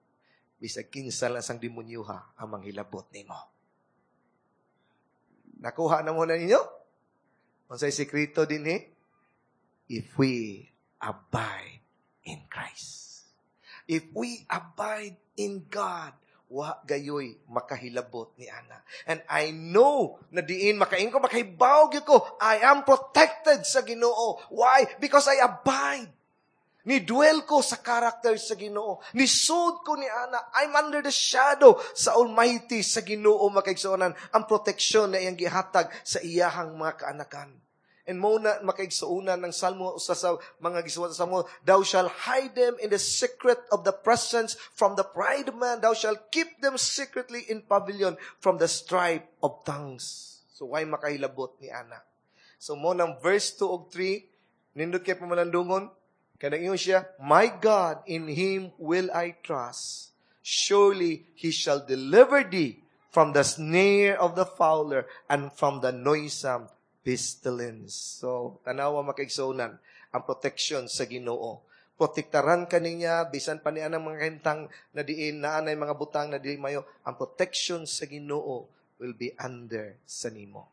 bisag kinsa lang sang demonyoha ang manghilabot nimo. Nakuha na mo na ninyo? Unsay sekreto dinhi? If we abide in Christ. If we abide in God, wa gayoy makahilabot ni ana. And I know na diin makain ko, makahibaw gyud ko, I am protected sa Ginoo. Why? Because I abide. Ni-dwell ko sa character sa Ginoo. Nisud ko ni ana. I'm under the shadow sa Almighty sa Ginoo, makaigsuonan. Ang proteksyon na iyang gihatag sa iyahang mga kaanakan. And mo na makaigsuonan ng Salmo usa sa mga gisuwat sa Salmo, "Thou shall hide them in the secret of the presence from the pride of man. Thou shall keep them secretly in pavilion from the strife of tongues." So why makahilabot ni ana? So mo ng verse 2 ug 3, nindot kay pamalandungon, kanang ingon siya, "My God, in Him will I trust. Surely He shall deliver thee from the snare of the fowler and from the noisome pestilence." So, tanawa, makaigsuonan, ang protection sa Ginoo. Protektaran ka niya, bisan pa niya ng mga kahimtang na diin, na anay mga butang na diin mayo, ang protection sa Ginoo will be under sa nimo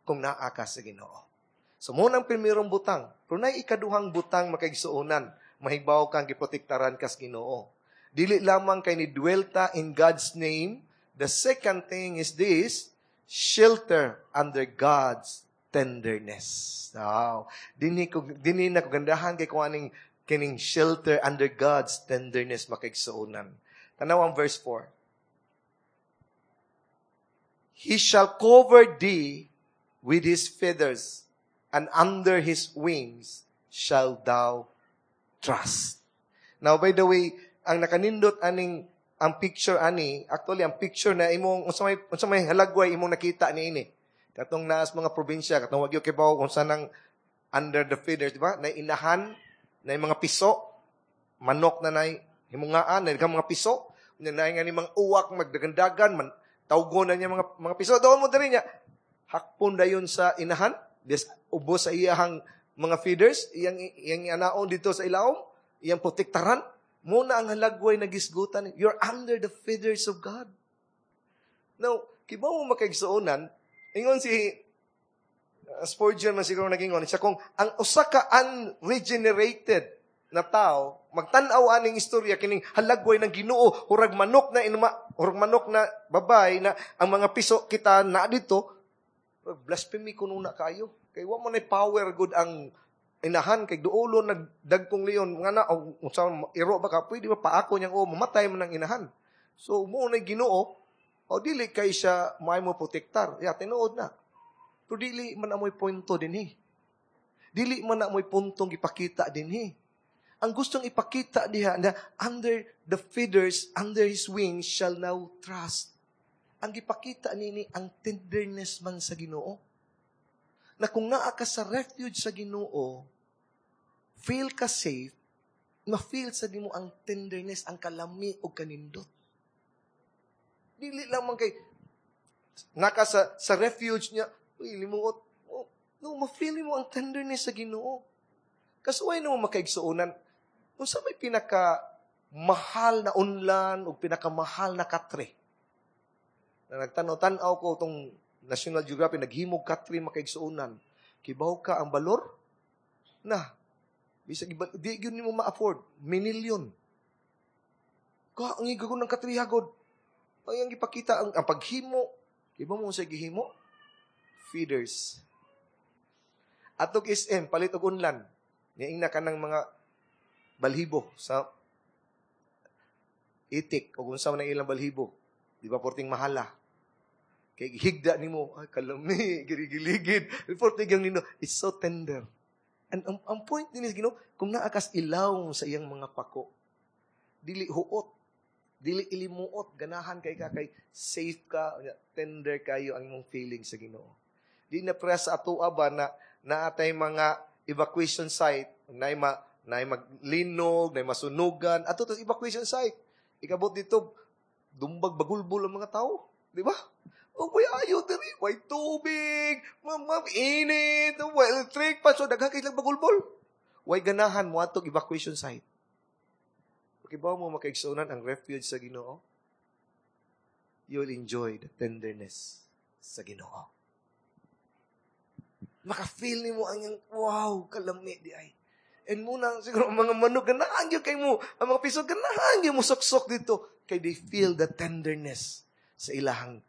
kung naa ka sa Ginoo. So, mo nang primerong butang. Pero nay ikaduhang butang, makaigsuonan, mahigbaw kang giprotektaran kas Ginoo. Dili lamang kay ni dwell ta in God's name. The second thing is this, shelter under God's tenderness. Wow. Dinhi na ko gandahan kay kung aning kining shelter under God's tenderness, makaigsuonan. Tanaw ang verse 4. "He shall cover thee with His feathers, and under His wings shall thou trust." Now, by the way, ang nakanindot aning ang picture ani, actually ang picture na imong unsa may halagway imong nakita niini. Katong naas mga probinsya, katong wag kay kung saan ang under the feathers, di ba? Na inahan, na mga piso, manok na nay himungaan, na mga piso, na nga ni mga uwak magdagandagan, man tawgon na niya mga piso. Doon mo diri niya. Hakpon dayon sa inahan, des ubos sa iyahang mga feathers, iyang anaon dito sa ilawom, iyang protektaran. Muna ang halagway na gisgutan. You're under the feathers of God. Now, kibaw mo, makaigsuonan, ingon si Spurgeon man siguro nagingon siya kung ang usa ka unregenerated na tao magtan-aw aning istorya kining halagway ng Ginoo, hurag manok na inuma, hurag manok na babay na ang mga piso kita na dito, blasphemy kuno na kayo kay wa man nay power good ang inahan kay duolo nagdagkong leon nga na o unsa iro ba ka pwede ba paako niyang o mamatay man ang inahan. So mo na Ginoo o dili kay siya may mo protektar ya, tinuod na, pero dili man amoy punto dinhi, dili man amoy puntong ipakita dinhi. Ang gustong ipakita diha na under the feathers, under His wings shall now trust. Ang gipakita nini ang tenderness man sa Ginoo. Na kung naa ka sa refuge sa Ginoo, feel ka safe, ma-feel sa nimo ang tenderness, ang kalami o kanindot. Dili lamang kay naka sa refuge niya, uy, limuot. Oh, no, ma-feel mo ang tenderness sa Ginoo. Kasuway na mo, makaigsuonan, unsa may pinaka mahal na unlan o pinakamahal na katre? Na nagtanaw-tanaw ko tong National Geographic, naghimog katre, makaigsuonan. Kibaw ka ang balor? Na, bisag iba, di yun nimo ma-afford. Minilyon. Ka, ang igo ng katrihagod. Ay, ang ipakita, ang paghimo. Kibaw mo sa gihimo? Feathers. Atog SM, palit og unlan. Niing na ka ng mga balhibo sa itik o kung sa man ang ilang balhibo. Di ba porting mahala? Kay higda nimo, ay kalami, giligid. Before tigang nino, it's so tender. And ang point din is, Ginoo, kung naa kas ilawom sa iyang mga pako, dili huot, dili ilimuot, ganahan kay ka kay safe ka, tender kayo ang imong feeling sa Ginoo. Di na pre sa atoa ba na naatay mga evacuation site, naay maglinog, naay masunugan, ato to evacuation site. Ikabot dito, dumbag bagulbol ang mga tao, di ba? Oh, way ayo diri, way tubig, ma init, way electric pa, so daghan kay lang bagulbol. Way ganahan mo atog evacuation site. Kibaw mo, makaigsuonan, ang refuge sa Ginoo, you will enjoy the tenderness sa Ginoo. Maka-feel nimo ang iyang, wow, kalami di ay. And muna, siguro, ang mga manok, ganahan gyud kay mo, ang mga piso, ganahan gyud mo suksok dito. Kay they feel the tenderness sa ilahang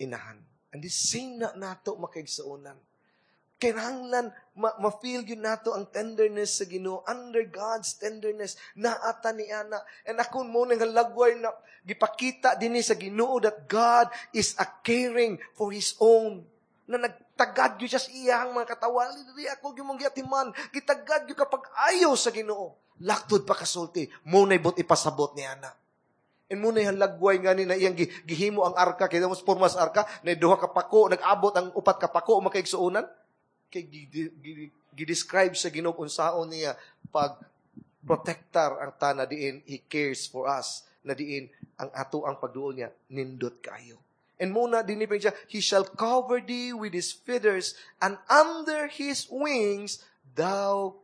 inahan. And the same na nato, makaigsuonan. Kinahanglan ma-feel gyud nato ang tenderness sa Ginoo. Under God's tenderness naata ni ana. And ako mo nang lagway na gipakita dinhi sa Ginoo that God is a caring for His own. Na nagtagad gyud siya sa iyang mga katawan. Dili ako gyud mong giatiman. Gitagad gyud kapag ayaw sa Ginoo. Laktod pa kasulti, mo nay but ipasabot ni ana. And muna yung lagway nga ni na iyang gihimo ang arka, kaya mo porma sa arka, na duha ka pako, nag-abot ang upat ka pako, makaigsuonan. Kay gi-describe sa Ginoo unsaon niya pag protectar ang tana diin He cares for us, na diin ang ato ang pagduol niya nindot kayo. And muna dinhi pa siya, "He shall cover thee with His feathers, and under His wings thou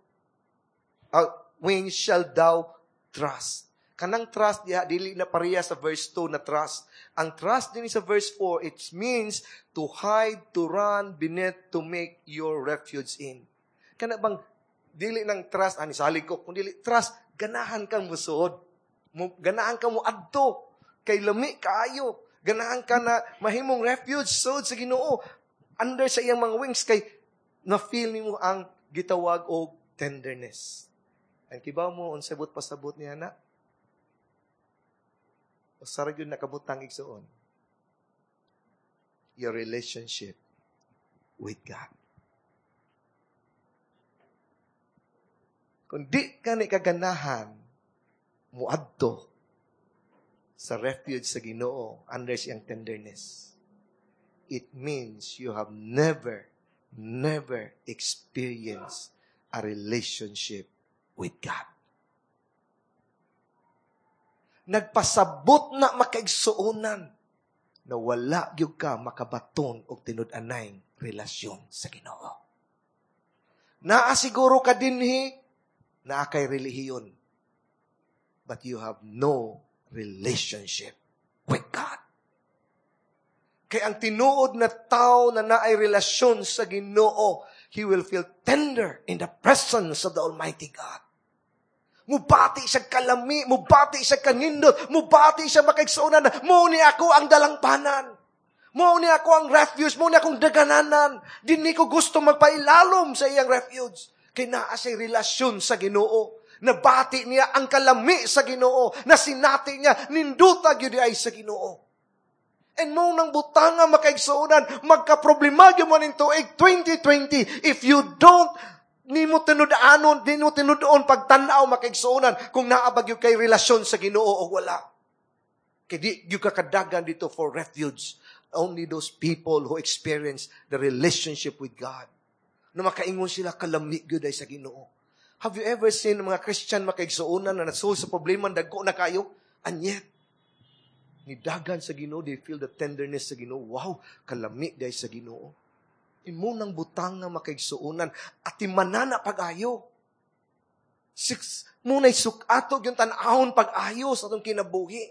wings shall thou trust." Kanang trust diha dili na pareha sa verse 2 na trust. Ang trust din sa verse 4, it means to hide, to run beneath, to make your refuge in. Kana bang dili nang trust ani salig ko, kun dili trust, ganahan kang musuod. Mo ganahan ka mo adto kay lami kaayo. Ganahan ka na mahimong refuge sud sa Ginoo under sa iyang mga wings kay na feel nimo ang gitawag og tenderness. Ang kibaw mo unsay but pasabot niya na? Usa ra gyud nakabutang, igsuon. Your relationship with God. Kung di ka ni kaganahan muadto sa refuge sa Ginoo under siyang tenderness, it means you have never, never experienced a relationship with God. Nagpasabot na, makaigsuonan, na wala gyud ka makabaton og tinud-anay relasyon sa Ginoo. Naa siguro ka dinhi, naa kay relihiyon, but you have no relationship with God. Kay ang tinuod na tao na naay relasyon sa Ginoo, he will feel tender in the presence of the Almighty God. Mubati siya kalami, mubati siya kanindot, mubati siya, makaigsuonan, mo ni ako ang dalangpanan. Mo ni ako ang refuge, mo ni akong dagananan. Dinhi ko gusto magpailalom sa iyang refuge. Kay naa siya'y relasyon sa Ginoo. Nabati niya ang kalami sa Ginoo. Nasinati niya, ninduta gyud ay sa Ginoo. And mo nang butanga, makaigsuonan, magka-problema gyud mo ning tuig 2020 if you don't nimo tinud-anon, di mo tinud-on pagtan-aw, makaigsuonan, kung naa ba gyud kay relasyon sa Ginoo o wala. Kay di gyud ka kadagan dito for refuge. Only those people who experience the relationship with God. Na makaingon sila, kalami gyud ay sa Ginoo. Have you ever seen mga Christian, makaigsuonan, na nasul sa problema dagko na kayo? And yet, nidagan sa Ginoo, they feel the tenderness sa Ginoo. Wow, kalami day sa Ginoo. Imo nang butang nga, makaigsuonan, at manana pag-ayo. Six, muna'y sukato yung tan-ahon pag-ayo sa atong kinabuhi.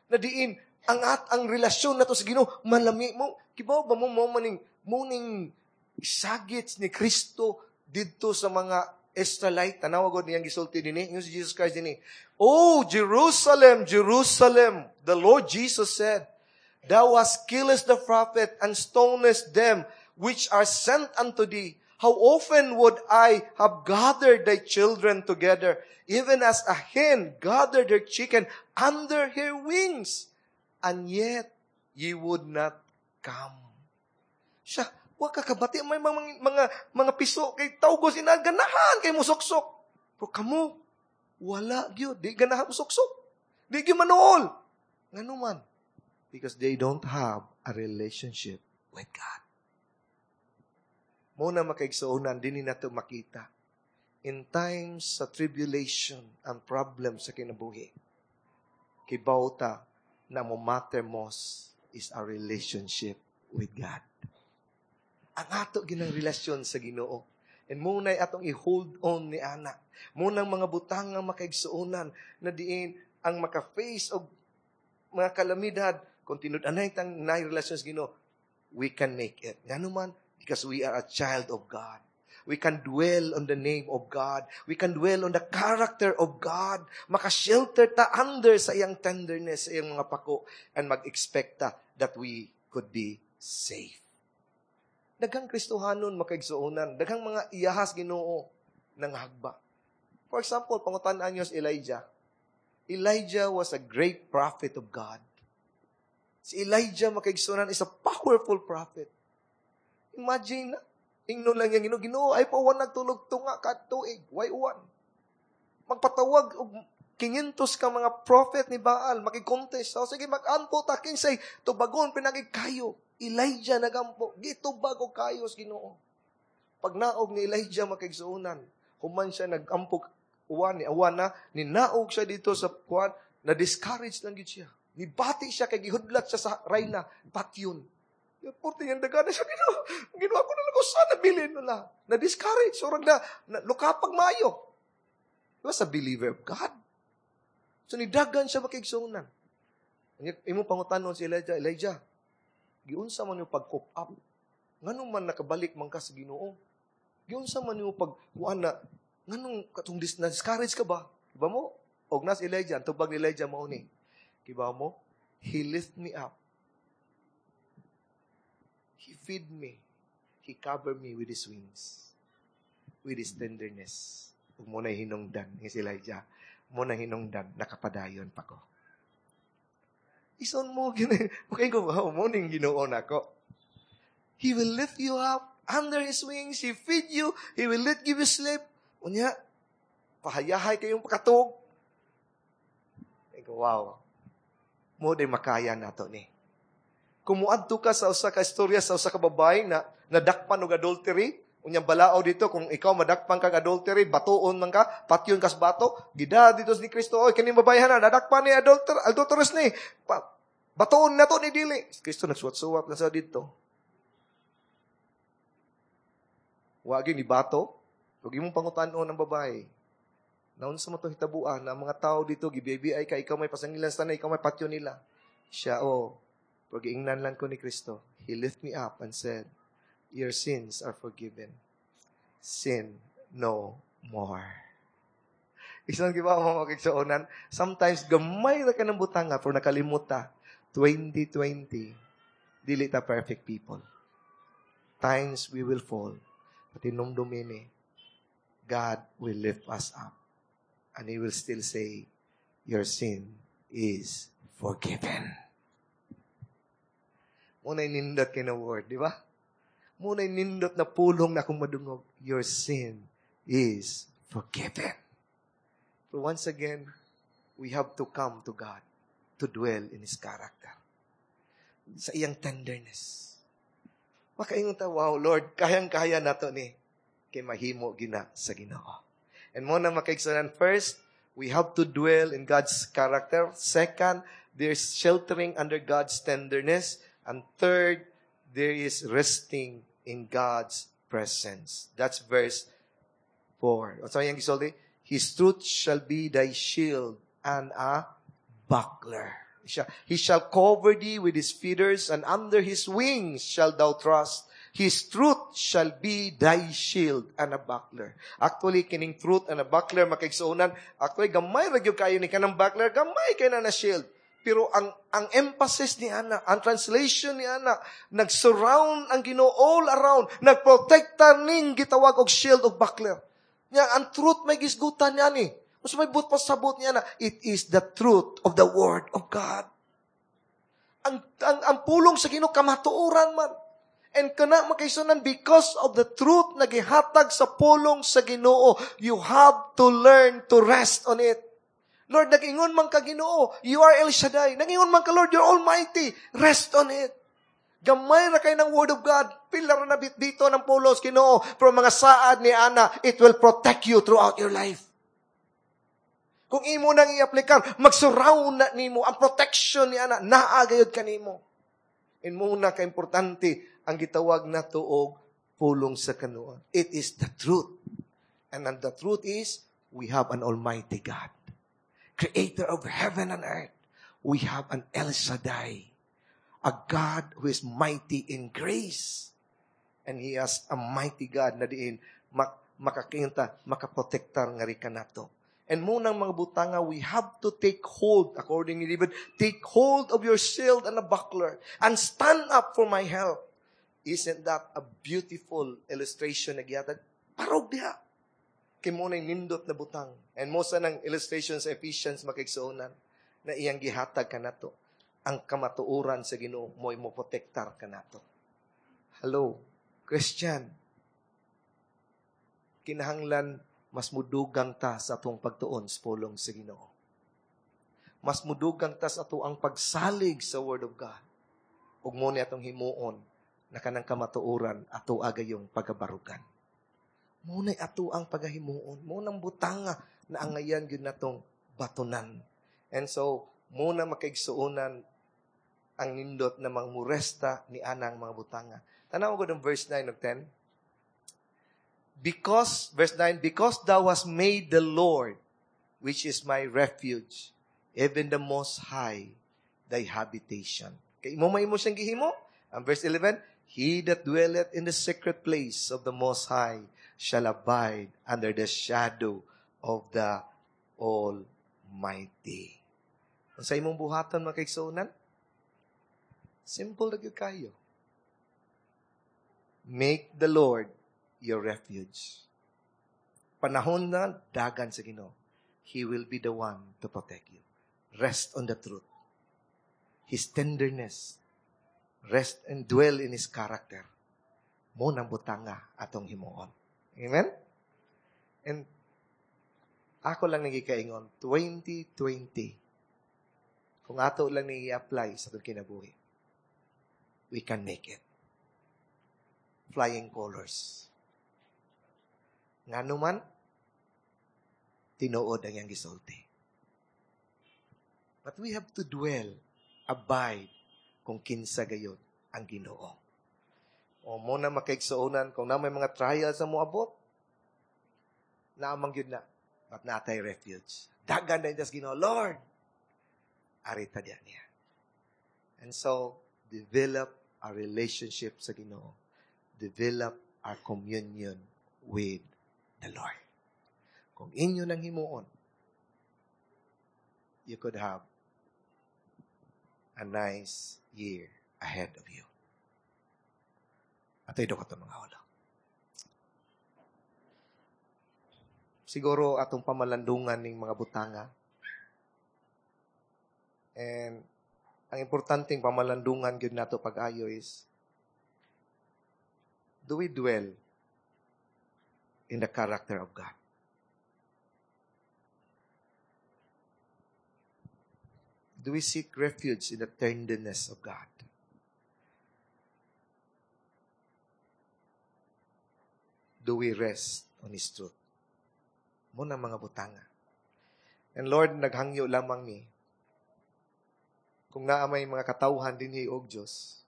Na diin, ang at ang relasyon nato sa Ginoo malami mo. Kibaw ba mo mo maning muning isagit ni Kristo didto sa mga Israelite? Tanawa gud niyang gisulti dinhi, yung si Jesus Christ dinhi. "Oh, Jerusalem, Jerusalem," the Lord Jesus said, "thou hast killest the prophet and stonest them which are sent unto thee. How often would I have gathered thy children together, even as a hen gathered her chicken under her wings, and yet ye would not." come. Siya, wa ka kabati may mga piso kay tawgos ina ganahan kay musuksok. Pero kamo wala gyud, di ganahan musuksok. Di gyud manuol. Ngano man? Because they don't have a relationship with God. Muna makaigsuonan, dinhi nato makita. In times sa tribulation and problems sa kinabuhi, kibaw ta na mo matter most is our relationship with God. Ang ato ginang relasyon sa Ginoo. And muna'y atong i-hold on ni ana. Munang mga butang nga makaigsuonan na diin ang maka-face og mga kalamidad, kung tinud-anay tang naay relasyon sa Ginoo, we can make it. Ngano man? Because we are a child of God. We can dwell on the name of God. We can dwell on the character of God. Makashelter ta under sa iyang tenderness, sa iyang mga pako, and mag-expect ta that we could be safe. Daghang Kristohanon makaigsuonan, daghang mga iyahas Ginoo nang hagba. For example, pangutan-an niyo si Elijah. Elijah was a great prophet of God. Si Elijah makaigsuonan is a powerful prophet. Imagine na, ingnon lang yung Ginoo, "Ginoo, ay pa uwan nagtulog tunga ka tuig, way uwan." Magpatawag og 500 ka mga prophet ni Baal, makikontest. So, sige, mag-ampo ta, kinsay tubagon, pinagi kayo. Elijah nagampo, gitubag og kayo sa Ginoo. Pag naog ni Elijah makaigsuonan, human siya nag-ampo uwan ni awan na, ninaog siya dito sa kuan, na discourage lang gid siya. Nibati siya kay gihudlat siya sa rayna, patyon. Porte yung daga na siya, Ginoo. Ginawa ko na lang ko sana bilin nila. Na-discourage. So, na lukapag mayo. He was a believer of God. So, nidagan siya makigsunan. Imo pangutanon si Elijah, "Elijah, giunsa man yung pag-cope up? Nganong man nakabalik man ka sa Ginoo? Giunsa man yung pag kuan na nganong katong na-discourage ka ba?" Kibaw mo? Og nas Elijah, ang tubag ni Elijah mao ni. Kibaw mo? He lift me up. He feed me. He cover me with His wings. With His tenderness. Ug mo na hinungdan ni si Elijah. Mo na hinungdan, nakapadayon pa ko. Ison mo, gini. Okay ko ba? Mo ning Ginoo nako. He will lift you up under His wings. He feed you. He will let give you sleep. Unya, pahayahay kayong pakatug. Ikaw, wow. Mo di makaya nato ni. Kung muadto ka sa usa ka istorya sa usa ka babae na nadakpan og adultery, unyang balao dito, kung ikaw madakpan kag adultery, batuon man ka, patyon kas bato, gida dito ni Kristo, "Oy, kining babae na, nadakpan ni adulterous ni, batuon na to ni dili." Kristo nagsuwat-suwat na sa dito. Wagi ni bato, ug imong pangutan-on ang babae. Naunsa mo to hitabuan na mga tao dito, gibibi ka, ikaw may pasangilan sa tanay, ikaw may patyon nila. Siya, oh, pag-iingnan lang ko ni Kristo, He lift me up and said, "Your sins are forgiven. Sin no more." Isang giba mo makigsuonan, sometimes gamay ra ka ng butanga pero nakalimot ta, 2020, dili ta perfect people. Times we will fall, but hinumdumi, God will lift us up. And He will still say, "Your sin is forgiven." Muna'y nindot kay na word, di ba? Muna'y nindot na pulong na akong madungog. Your sin is forgiven. But once again, we have to come to God to dwell in His character. Sa iyang tenderness. Makaingon ta, "Wow, Lord, kayang-kaya nato ni. Kay mahimo gina sa Ginoo." And mo na makaigsunan, first, we have to dwell in God's character. Second, there's sheltering under God's tenderness. And third, there is resting in God's presence. That's verse 4. What's ang gisulti? His truth shall be thy shield and a buckler. He shall cover thee with His feathers, and under His wings shall thou trust. His truth shall be thy shield and a buckler. Actually, kining truth and a buckler, makaigsuonan, actually, gamay ra gyud kayo ni kanang buckler, gamay kay na na shield. Pero ang emphasis ni ana, ang translation ni ana, nag-surround ang Ginoo all around, nagprotekta ning gitawag og shield og buckler. Nya ang truth may gisgutan niya ni. Mas may but pasabot niya na it is the truth of the word of God. Ang pulong sa Ginoo kamatuoran man. And kana, mga kaigsuonan, because of the truth na gihatag sa pulong sa Ginoo, you have to learn to rest on it. Lord, nag-ingon man ka, Ginoo, you are El Shaddai. Nag-ingon man ka, Lord, you're Almighty. Rest on it. Gamay ra kay ng Word of God. Pila ra na dito ng pulos, Ginoo. Pero mga saad ni ana, it will protect you throughout your life. Kung imo nang i-aplikar, mag-surround na nimo ang protection ni ana, naa gayud kanimo. And mao na ka-importante ang gitawag nato og pulong sa kanuan. It is the truth. And the truth is, we have an Almighty God, Creator of heaven and earth. We have an El Shaddai, a God who is mighty in grace. And He has a mighty God na diin makakinta, makaprotektar nga rin nato. And mao nang mga butanga, we have to take hold, according ni David, "Take hold of your shield and a buckler, and stand up for my help." Isn't that a beautiful illustration na gihatag? Parog diha. Kay mao nang nindot na butang. And mao sa nang illustration sa Ephesians, mga kaigsuonan, na iyang gihatag kanato. Ang kamatuoran sa Ginoo mo'y mo protektar kanato. Hello, Christian. Kinahanglan mas mudugang ta sa atong pagtuon sa pulong sa Ginoo. Mas mudugang ta sa ato ang pagsalig sa Word of God. Ug mao ni atong himuon na kanang kamatuoran ato agayong pagabarugan. Mao na ato ang pagahimuon. Mao nang butanga na angayan gyud natong batunan. And so, mao na, mga kaigsuonan, ang nindot na mangmuresta ni anang mga butanga. Tanaw ko ng verse 9 ug 10. Because, verse 9, "Because thou hast made the Lord, which is my refuge, even the Most High, thy habitation." Kay imo may imo siyang gihimo. Ang verse 11, "He that dwelleth in the secret place of the Most High shall abide under the shadow of the Almighty." Sa imong buhaton, mga kaigsuonan, simple na gyud kayo. Make the Lord your refuge. Panahon na dagan sa Ginoo, He will be the one to protect you. Rest on the truth. His tenderness. Rest and dwell in His character. Mao nang butanga atong himuon. Amen? And ako lang nagikaingon, 2020, kung ato lang ni i-apply sa atong kinabuhi, we can make it. Flying colors. Ngano man, tinuod ang iyang gisulti. But we have to dwell, abide, kung kinsa gayod ang Ginoo. O mao na, mga kaigsuonan, kung naa may mga trials sa moabot, naamang yun na, but naa tay refuge. Dagan na sa Ginoo, "Lord, arita diya niya." And so, develop our relationship sa Ginoo. Develop our communion with the Lord. Kung inyo nang himuon, you could have a nice year ahead of you. Ato'y ko mga ulo. Siguro atong pamalandungan ning mga butanga. And ang importanteng pamalandungan gyud nato pag-ayo is, do we dwell in the character of God? Do we seek refuge in the tenderness of God? Do we rest on His truth? Mao na mga butanga. And Lord, naghangyo lamang ni, kung naa may mga katawhan dinhi og Dios,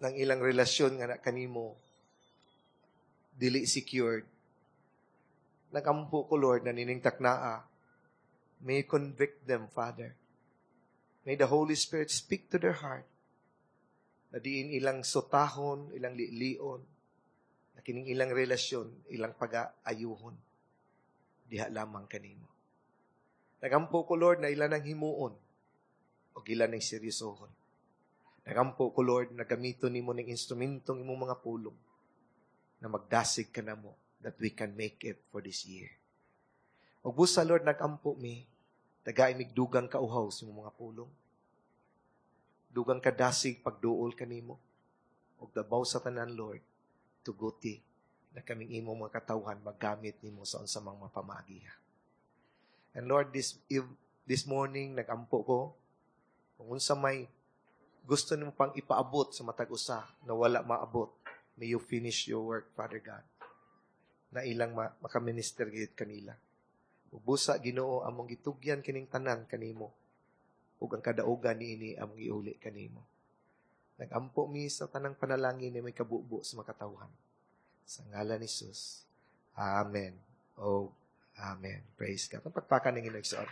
ng ilang relasyon nga na kanimo dili secured. Nagampo ko, Lord, na nining taknaa, may you convict them, Father. May the Holy Spirit speak to their heart na diin ilang sutahon, ilang lilion, na kining ilang relasyon, ilang pag-aayuhon. Diha lamang kanimo. Nagampo ko, Lord, na ilan ang himuon o ilan ang seryosohon. Nagampo ko, Lord, na gamiton nimo ning instrumentong imong mga pulong na magdasig ka namo that we can make it for this year. Ug busa, Lord, nagampo mi, tagai mig dugang kauhaw sa imong mga pulong. Dugang kadasig pagduol kanimo. Ug labaw sa tanan, Lord, tuguti na kaming imong mga katawhan magamit nimo sa unsa mang mga pamaagi. And Lord, this morning nagampo ko kung unsa may gusto nimo pang ipaabot sa matag usa na wala maabot, may you finish your work, Father God, na ilang makaminister gid kanila. Ug busa, Ginoo, among gitugyan kining tanan kanimo ug ang kadaugan niini among iuli kanimo. Nagampo mi sa tanang panalangin ni may kabubo sa makatawhan. Sa ngalan ni Jesus. Amen. Oh, amen. Praise God. Ang pagpakan ng Ginoo.